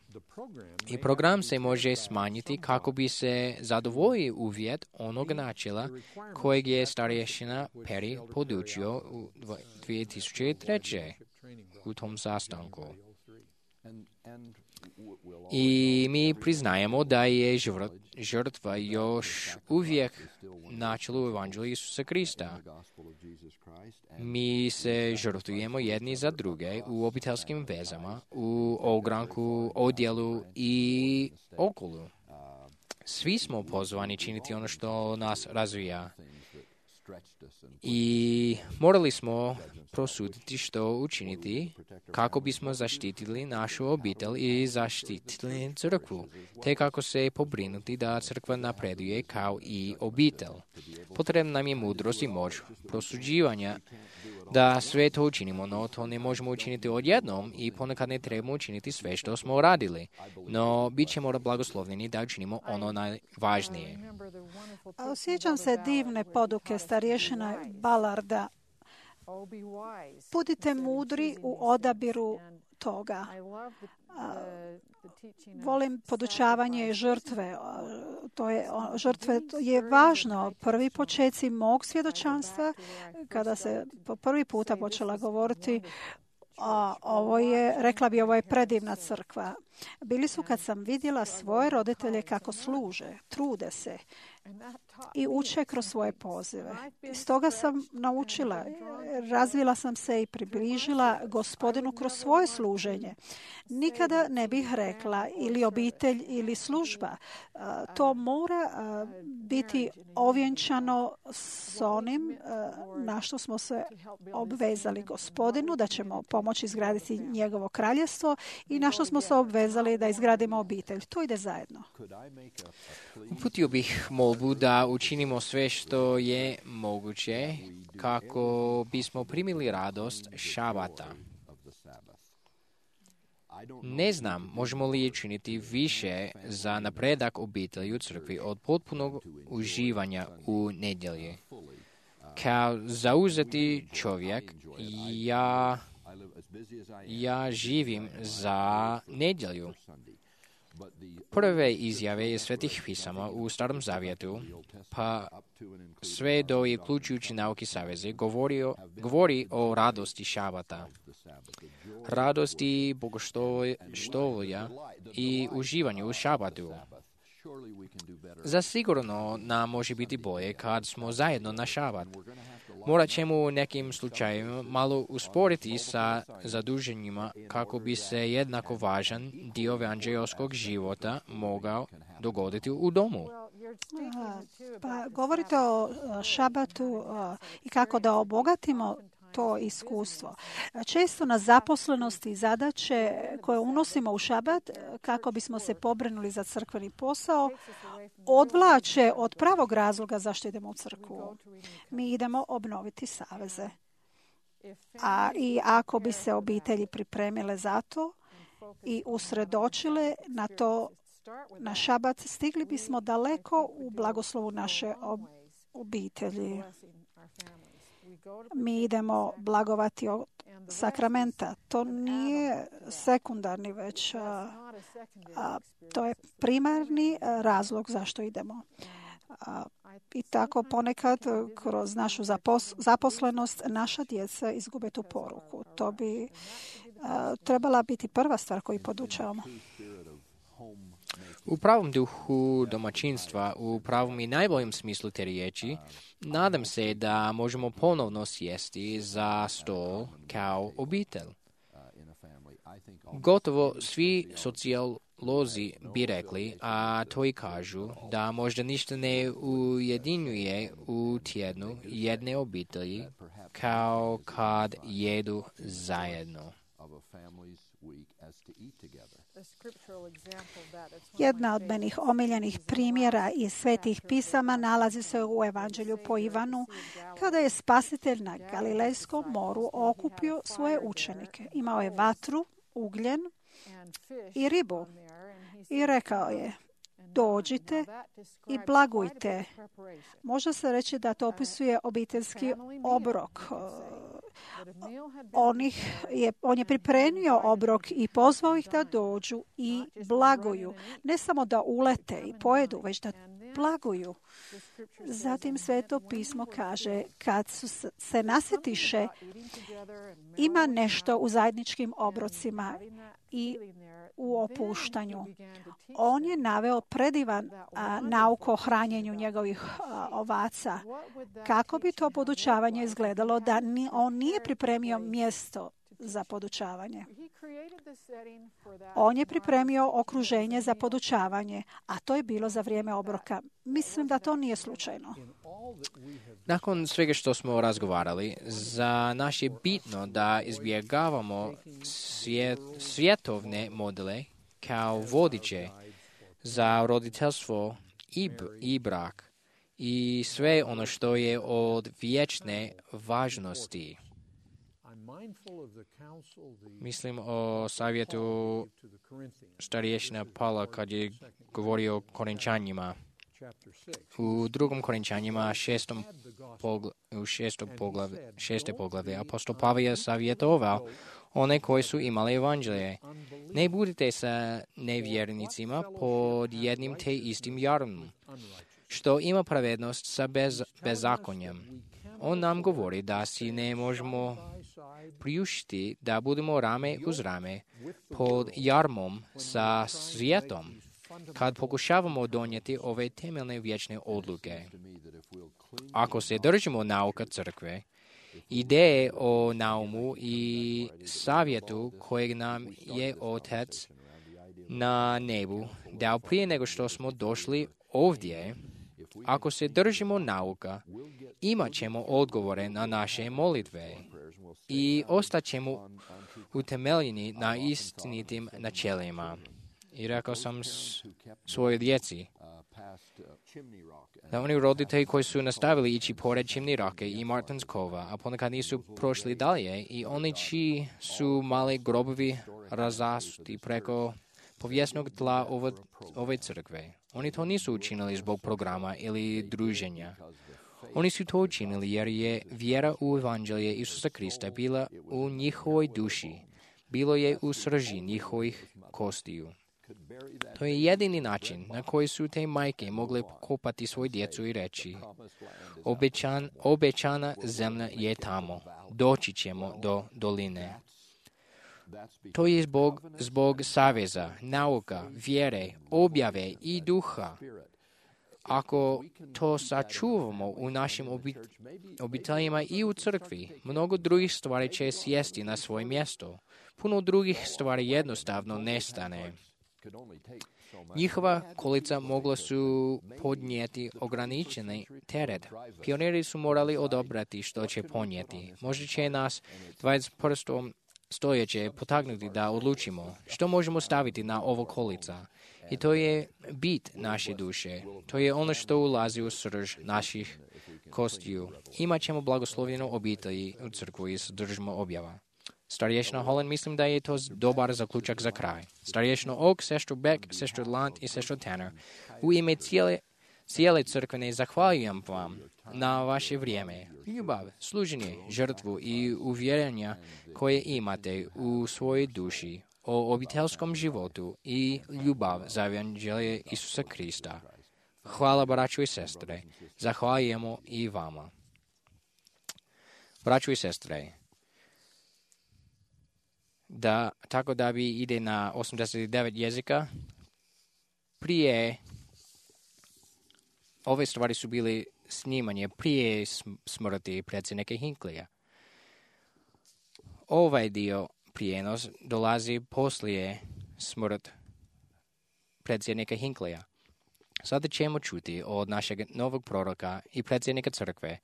I program se može smanjiti kako bi se zadovoljio uvjet onog načela kojeg je starješina Perry podučio u 2003. u tom sastanku. I mi priznajemo da je žrtva još uvijek načelo u Evanđelju Isusa Krista. Mi se žrtvujemo jedni za druge u obiteljskim vezama, u ogranku, odjelu i okolu. Svi smo pozvani činiti ono što nas razvija. I morali smo prosuditi što učiniti kako bismo zaštitili našu obitelj i zaštitili crkvu, te kako se pobrinuti da crkva napreduje kao i obitelj. Potrebna nam je mudrost i moć prosuđivanja da sve to učinimo, no to ne možemo učiniti odjednom i ponekad ne trebamo učiniti sve što smo radili. No, bit ćemo blagoslovljeni da učinimo ono najvažnije. Sjećam se divne poduke starješina Ballarda. Budite mudri u odabiru toga. Volim podučavanje žrtve. Žrtve je važno. Prvi počeci mog svjedočanstva, kada se po prvi puta počela govoriti, ovo je predivna crkva. bili su kad sam vidjela svoje roditelje kako služe, trude se i uče kroz svoje pozive. Stoga sam naučila, razvila sam se i približila Gospodinu kroz svoje služenje. Nikada ne bih rekla ili obitelj ili služba. To mora biti ovjenčano s onim na što smo se obvezali Gospodinu, da ćemo pomoći izgraditi njegovo kraljestvo i na što smo se obvezali da izgradimo obitelj. To ide zajedno. Uputio bih molbu da učinimo sve što je moguće kako bismo primili radost šabata. Ne znam, možemo li učiniti više za napredak obitelji u crkvi od potpunog uživanja u nedjelji. Kao zauzeti čovjek, ja živim za nedjelju. Prve izjave iz Svetih pisama u Starom Zavjetu, pa sve do i uključujući Nauki saveze, govori o radosti šabata, radosti bogoštovlja i uživanju u šabatu. Zasigurno nam može biti bolje kad smo zajedno na šabat. Morat ćemo u nekim slučajevima malo usporiti sa zaduženjima kako bi se jednako važan dio evanđeoskog života mogao dogoditi u domu. Pa govorite o šabatu i kako da obogatimo to iskustvo. Često na zaposlenosti i zadaće koje unosimo u šabat kako bismo se pobrinuli za crkveni posao odvlače od pravog razloga zašto idemo u crkvu. Mi idemo obnoviti saveze. I ako bi se obitelji pripremile za to i usredočile na to na šabat, stigli bismo daleko u blagoslovu naše obitelji. Mi idemo blagovati od sakramenta. To nije sekundarni, već to je primarni razlog zašto idemo. I tako ponekad kroz našu zaposlenost naša djeca izgube tu poruku. To bi trebala biti prva stvar koju podučavamo. U pravom duhu domaćinstva, u pravom i najboljem smislu te riječi, nadam se da možemo ponovno sjesti za stol kao obitelj. Gotovo svi sociolozi bi rekli, a to i kažu, da možda ništa ne ujedinjuje u tjednu jedne obitelji kao kad jedu zajedno. Jedna od mojih omiljenih primjera iz Svetih pisama nalazi se u Evanđelju po Ivanu, kada je Spasitelj na Galilejskom moru okupio svoje učenike. Imao je vatru, ugljen i ribu. I rekao je, dođite i blagujte. Može se reći da to opisuje obiteljski obrok. On je pripremio obrok i pozvao ih da dođu i blaguju. Ne samo da ulete i pojedu, već da blaguju. Zatim Sveto pismo kaže, kad su se nasjetiše, ima nešto u zajedničkim obrocima i u opuštanju. On je naveo predivan nauk o hranjenju njegovih ovaca. Kako bi to podučavanje izgledalo da on nije pripremio mjesto za podučavanje? On je pripremio okruženje za podučavanje, a to je bilo za vrijeme obroka. Mislim da to nije slučajno. Nakon svega što smo razgovarali, za nas je bitno da izbjegavamo svjetovne modele kao vodiče za roditeljstvo i brak i sve ono što je od vječne važnosti. Mislim o savjetu starješina Pavla kad je govorio o Korinčanima. U drugom Korinčanima šeste poglavlje apostol Pavel je savjetovao one koji su imali evanđelje. Ne budite sa nevjernicima pod jednim te istim jarmom, što ima pravednost sa bezakonjem. On nam govori da si ne možemo priuštiti da budemo rame uz rame pod jarmom sa svijetom kad pokušavamo donijeti ove temeljne vječne odluke. Ako se držimo nauka crkve, ideje o naumu i savjetu kojeg nam je Otac na nebu dao prije nego što smo došli ovdje, ako se držimo nauka, imat ćemo odgovore na naše molitve i ostaćemo utemeljeni na istinitim načelima. I rekao sam svojoj djeci da oni roditelji koji su nastavili ići pored Chimney Rocka i Martins Cova, a ponekad nisu prošli dalje, i oni čiji su mali grobovi razasuti preko povijesnog tla ove crkve. Oni to nisu učinili zbog programa ili druženja. Oni su to učinili jer je vjera u evanđelje Isusa Krista bila u njihovoj duši, bilo je u srži njihovih kostiju. To je jedini način na koji su te majke mogle pokopati svoju djecu i reći: obećana zemlja je tamo, doći ćemo do doline. To je zbog saveza, nauka, vjere, objave i duha. Ako to sačuvamo u našim obiteljima i u crkvi, mnogo drugih stvari će sjesti na svoje mjesto. Puno drugih stvari jednostavno nestane. Njihova kolica mogla su podnijeti ograničeni teret. Pioniri su morali odabrati što će ponijeti. Možda će nas 21. stoljeće potaknuti da odlučimo što možemo staviti na ovo kolica. I to je bit naše duše. To je ono što ulazi u srž naših kostiju. Imat ćemo blagoslovljenu obitelji u crkvu i sadržimo objava. Starješna Holland, mislim da je to dobar zaključak za kraj. Starješno Oak, sestru Beck, sestru Lant i sestru Tanner, u ime cijele crkvene zahvaljujem vam na vaše vrijeme, ljubav, služenje, žrtvu i uvjerenja koje imate u svojoj duši o obiteljskom životu i ljubav za evanđelje Isusa Krista. Hvala, braćo i sestre. Zahvaljujemo i vama. Braćo i sestre, tako da bi ide na 89 jezika. Prije ove stvari su bili snimanje prije smrti predsjednika Hinckleyja. Ovaj dio prijenos dolazi poslije smrt predsjednika Hinckleyja. Sada ćemo čuti od našeg novog proroka i predsjednika crkve,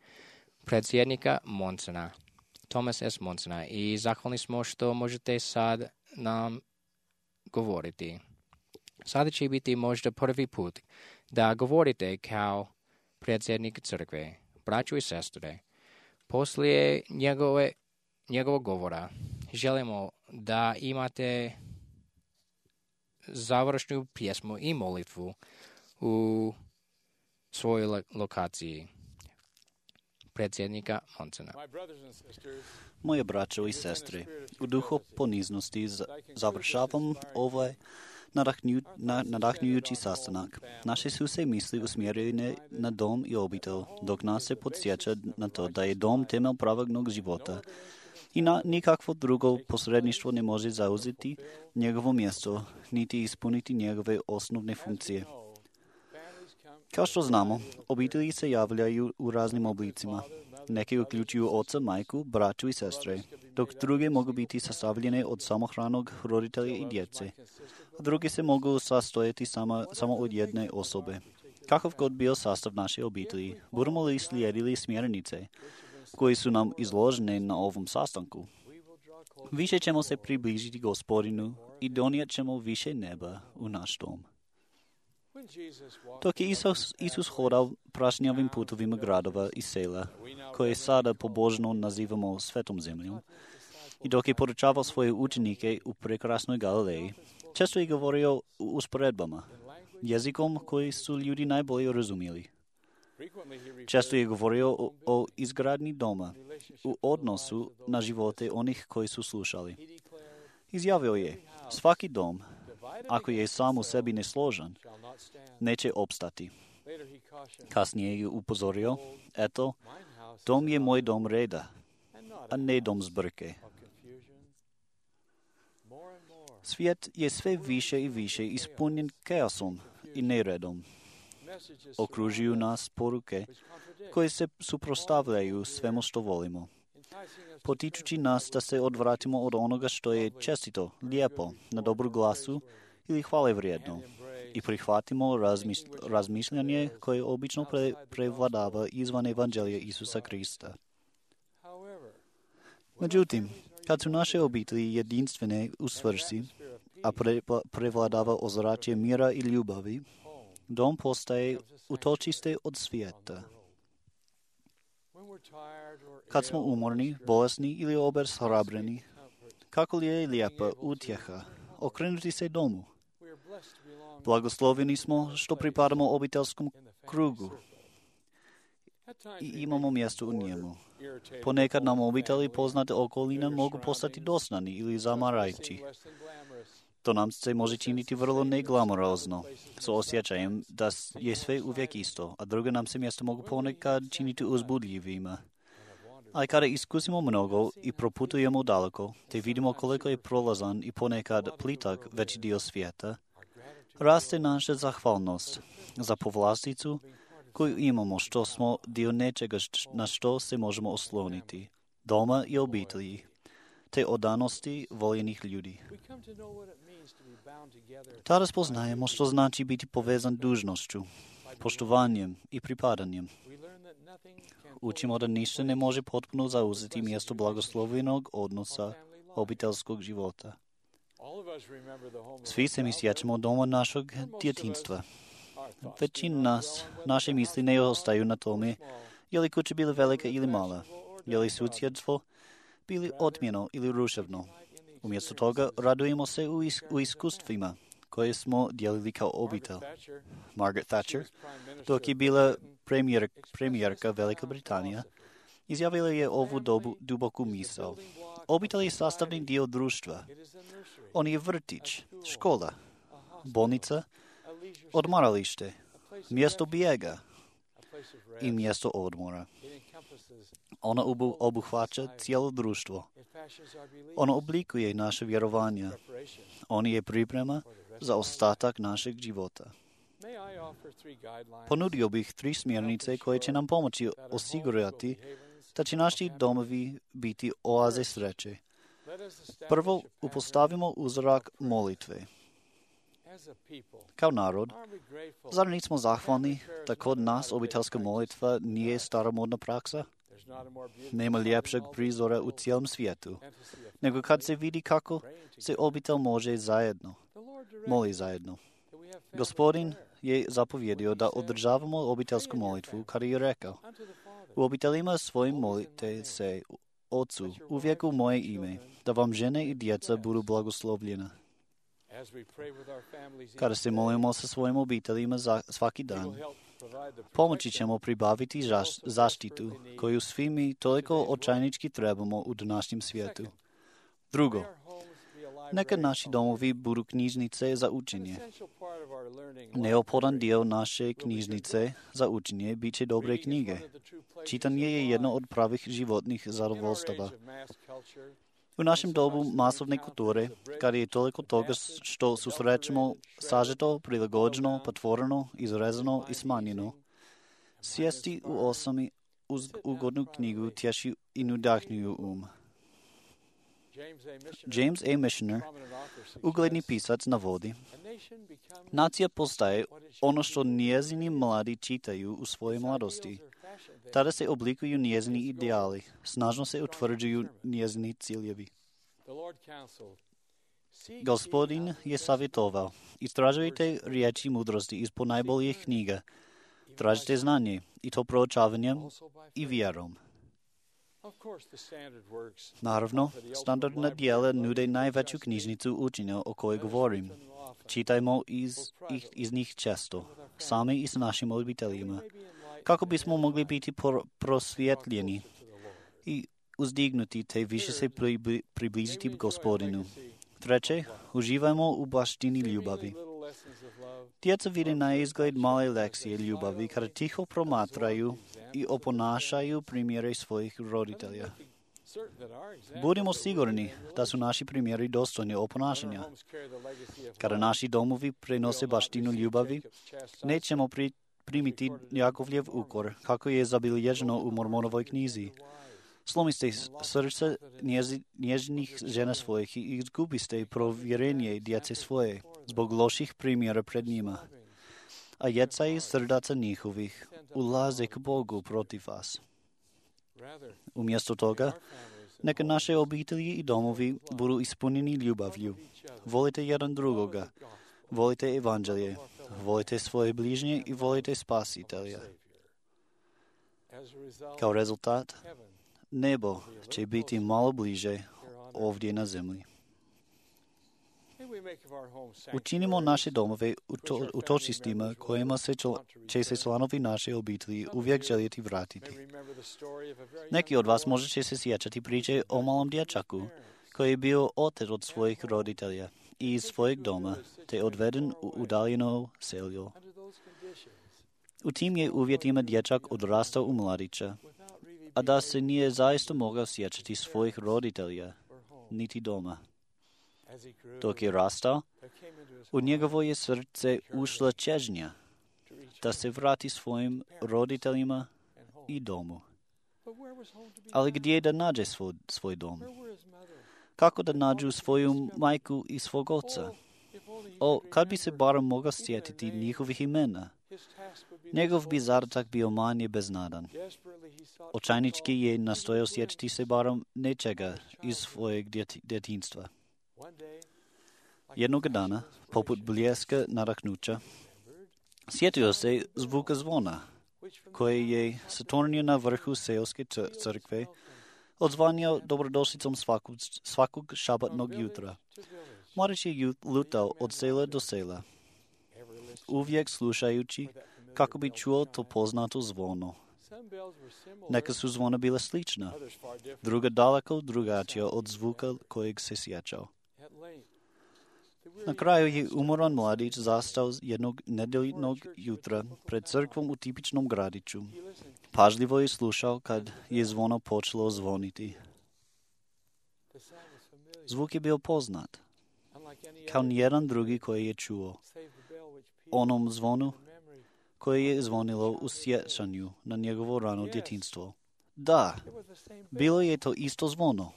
predsjednika Monsona, Thomas S. Monsona, i zahvalni smo što možete sad nam govoriti. Sada će biti možda prvi put da govorite kao predsjednik crkve, braćo i sestre. Poslije njegovog govora želimo da imate završnu pjesmu i molitvu u svojoj lokaciji. Predsjednika Monsona. Moje braćo i sestre, u duhu poniznosti završavam ovaj nadahnjujući sastanak. Naše su se misli usmjerene na dom i obitelj, dok nas se podsjeća na to da je dom temelj pravog života i nikakvo drugo posredništvo ne može zauzeti njegovo mjesto, niti ispuniti njegove osnovne funkcije. Kao što znamo, obitelji se javljaju u raznim oblicima. Neke uključuju oca, majku, braću i sestre, dok druge mogu biti sastavljene od samohranog roditelja i djece. Druge se mogu sastojati samo od jedne osobe. Kakav god bio sastav naše obitelji, budemo li slijedili smjernice koje su nam izložene na ovom sastanku, više ćemo se približiti Gospodinu i donijet ćemo više neba u naš dom. Dok je Isus hodao prašnjavim putovima gradova i sela, koje sada pobožno nazivamo svetom zemljom, i dok je podučavao svoje učenike u prekrasnoj Galileji, često je govorio u usporedbama, jezikom koji su ljudi najbolje razumjeli. Često je govorio o izgradnji doma, u odnosu na živote onih koji su slušali. Izjavio je, svaki dom, ako je sam u sebi nesložan, neće opstati. Kasnije je upozorio, eto, dom je moj dom reda, a ne dom zbrke. Svijet je sve više i više ispunjen kaosom i neredom. Okružuju nas poruke koje se suprotstavljaju svemu što volimo, potičući nas da se odvratimo od onoga što je čestito, lijepo, na dobru glasu ili hvale vrijedno i prihvatimo razmišljanje koje obično prevladava izvan evanđelja Isusa Krista. Međutim, kad su naše obitelji jedinstvene u svrsi, a prevladava ozračje mira i ljubavi, dom postaje utočište od svijeta. Kad smo umorni, bolesni ili obeshrabreni, kako li je lijepa utjeha okrenuti se domu. Blagosloveni smo što pripadamo obiteljskom krugu i imamo mjesto u njemu. Ponekad nam obitelji poznate okoline mogu postati dosadni ili zamarajući. To nam se može činiti vrlo neglamorozno, s osjećajem da je sve uvijek isto, a druge nam se mjesta mogu ponekad činiti uzbudljivima. Ali kada iskusimo mnogo i proputujemo daleko, te vidimo koliko je prolazan i ponekad plitak veći dio svijeta, raste naša zahvalnost za povlasticu koju imamo što smo dio nečega na što se možemo osloniti, doma i obitelji, te odanosti voljenih ljudi. Tada spoznajemo što znači biti povezan dužnošću, poštovanjem i pripadanjem. Učimo da ništa ne može potpuno zauzeti mjesto blagoslovljenog odnosa obiteljskog života. Svi se mi sjećamo doma našeg djetinjstva. Većina nas, naše misli ne ostaju na tome, je li kuća bila velika ili mala, je li susjedstvo bili otmjeno ili ruševno. Umjesto toga radujemo se u iskustvima koje smo dijelili kao obitelj. Margaret Thatcher, dok je bila premijerka Velike Britanije, izjavila je ovu duboku misao. Obitelj je sastavni dio društva. On je vrtić, škola, bolnica, odmaralište, mjesto bijega i mjesto odmora. Ono obuhvaća cijelo društvo. Ono oblikuje naše vjerovanje. On je priprema za ostatak našeg života. Ponudio bih 3 smjernice koje će nam pomoći osigurati da će naši domovi biti oaze sreće. Prvo, upostavimo uzrak molitve. Kao narod, zar nismo zahvalni da kod nas obiteljska molitva nije staromodna praksa? Nema ljepšeg prizora u cijelom svijetu, nego kad se vidi kako se obitelj može moli zajedno. Gospodin je zapovjedio da održavamo obiteljsku molitvu, kada je rekao: u obiteljima svojim molite se Ocu uvijek u moje ime, da vam žene i djeca budu blagoslovljena. Kada se molimo sa svojim obiteljima svaki dan, pomoći ćemo pribaviti zaštitu koju svi mi toliko očajnički trebamo u današnjem svijetu. Drugo, neka naši domovi budu knjižnice za učenje. Neophodan dio naše knjižnice za učenje bit će dobre knjige. Čitanje je jedno od pravih životnih zadovoljstava. U našem dobu masovne kulture, kada je toliko toga što susrećemo sažeto, prilagođeno, patvoreno, izrezano i smanjeno, sjesti u osami uz ugodnu knjigu tješi i nadahnjuju James A. Michener, ugledni pisac, navodi: nacija postaje ono što njezini mladi čitaju u svojoj mladosti. Tada se oblikuju njezini ideali, snažno se utvrđuju njezini ciljevi. Gospodin je savjetovao: istražujte riječi mudrosti iz ponajboljih knjiga, tražite znanje, i to proučavanjem i vjerom. Naravno, standardna djela nude najveću knjižnicu učenja o kojoj govorim. Čitajmo iz njih često, sami i s našim obiteljima, kako bismo mogli biti prosvjetljeni i uzdignuti te više se približiti Gospodinu. Treće, uživajmo u baštini ljubavi. Djeca vide na izgled male lekcije ljubavi kada tiho promatraju i oponašaju primjere svojih roditelja. Budimo sigurni da su naši primjeri dostojni oponašanja. Kada naši domovi prenose baštinu ljubavi, nećemo primiti Jakovljev ukor, kako je zabilježeno u Mormonovoj knjizi. Slomiste srce nježnih žena svojih i izgubiste provjerenje djece svoje zbog loših primjera pred njima. A jecaji srdaca njihovih ulaze k Bogu protiv vas. Umjesto toga, neka naše obitelji i domovi budu ispunjeni ljubavlju. Volite jedan drugoga, volite evanđelje, volite svoje bližnje i volite spasitelja. Kao rezultat, nebo će biti malo bliže ovdje na zemlji. Učinimo naše domove utočistima kojima će se članovi naše obitelji uvijek željeti vratiti. Neki od vas možda će se sjećati priče o malom dječaku koji je bio otet od svojih roditelja i iz svojeg doma, te odveden u udaljeno seljo. U tim je uvjetima dječak odrastao u mladića, a da se nije zaista mogao sjećati svojih roditelja, niti doma. Dok je rastao, u njegovo je srce ušla čežnja da se vrati svojim roditeljima i domu. Ali gdje da nađe svoj dom? Kako da nađu svoju majku i svog oca? Kad bi se barem mogao sjetiti njihovih imena, njegov bi zadatak bio manje beznadan. Očajnički je nastojao sjetiti se barem nečega iz svojeg djetinjstva. Jednog dana, poput bljeska nadahnuća, sjetio se zvuka zvona, koji je Saturnije na vrhu seoske crkve odzvanjao dobrodošlicom svakog šabatnog jutra. Mladić je lutao od sela do sela, uvijek slušajući kako bi čuo to poznato zvono. Neka su zvona bila slična, druga daleko drugačija od zvuka kojeg se sjećao. Na kraju je umoran mladić zastao jednog nedeljnog jutra pred crkvom u tipičnom gradiću. Pažljivo je slušao kad je zvono počelo zvoniti. Zvuk je bio poznat, kao nijedan drugi koji je čuo. Onom zvonu koje je zvonilo u sjećanju na njegovo rano djetinjstvo. Da, bilo je to isto zvono.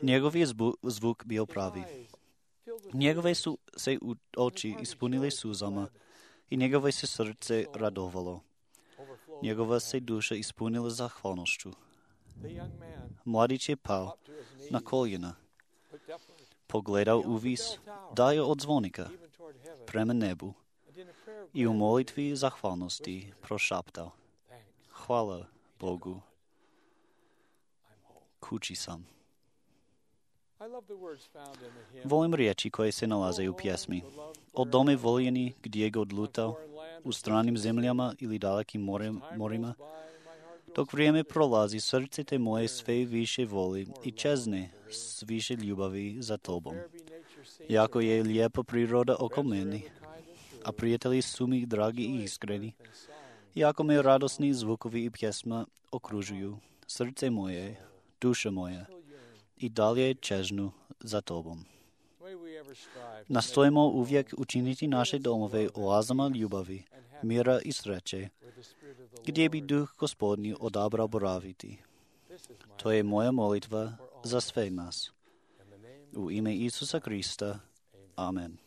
Njegov je zvuk bio pravi. Njegove su se oči ispunile suzama i njegove se srce radovalo. Njegova se duša ispunila zahvalnošću. Mladić je pao na koljena, pogledao uvis, dalje od zvonika, prema nebu i u molitvi zahvalnosti prošaptao: hvala Bogu, kući sam. Volim riječi koje se nalaze u pjesmi. O dome voljeni gdje god lutao, u stranim zemljama ili dalekim morima, dok vrijeme prolazi, srce te moje sve više voli i čezne s više ljubavi za tobom. Jako je lijepa priroda oko meni, a prijatelji su mi dragi i iskreni. Jako me radosni zvukovi i pjesma okružuju, srce moje, duša moja, i dalje čežnu za tobom. Nastojimo uvijek učiniti naše domove oazama ljubavi, mira i sreće, gdje bi duh Gospodnji odabrao boraviti. To je moja molitva za sve nas. U ime Isusa Krista. Amen.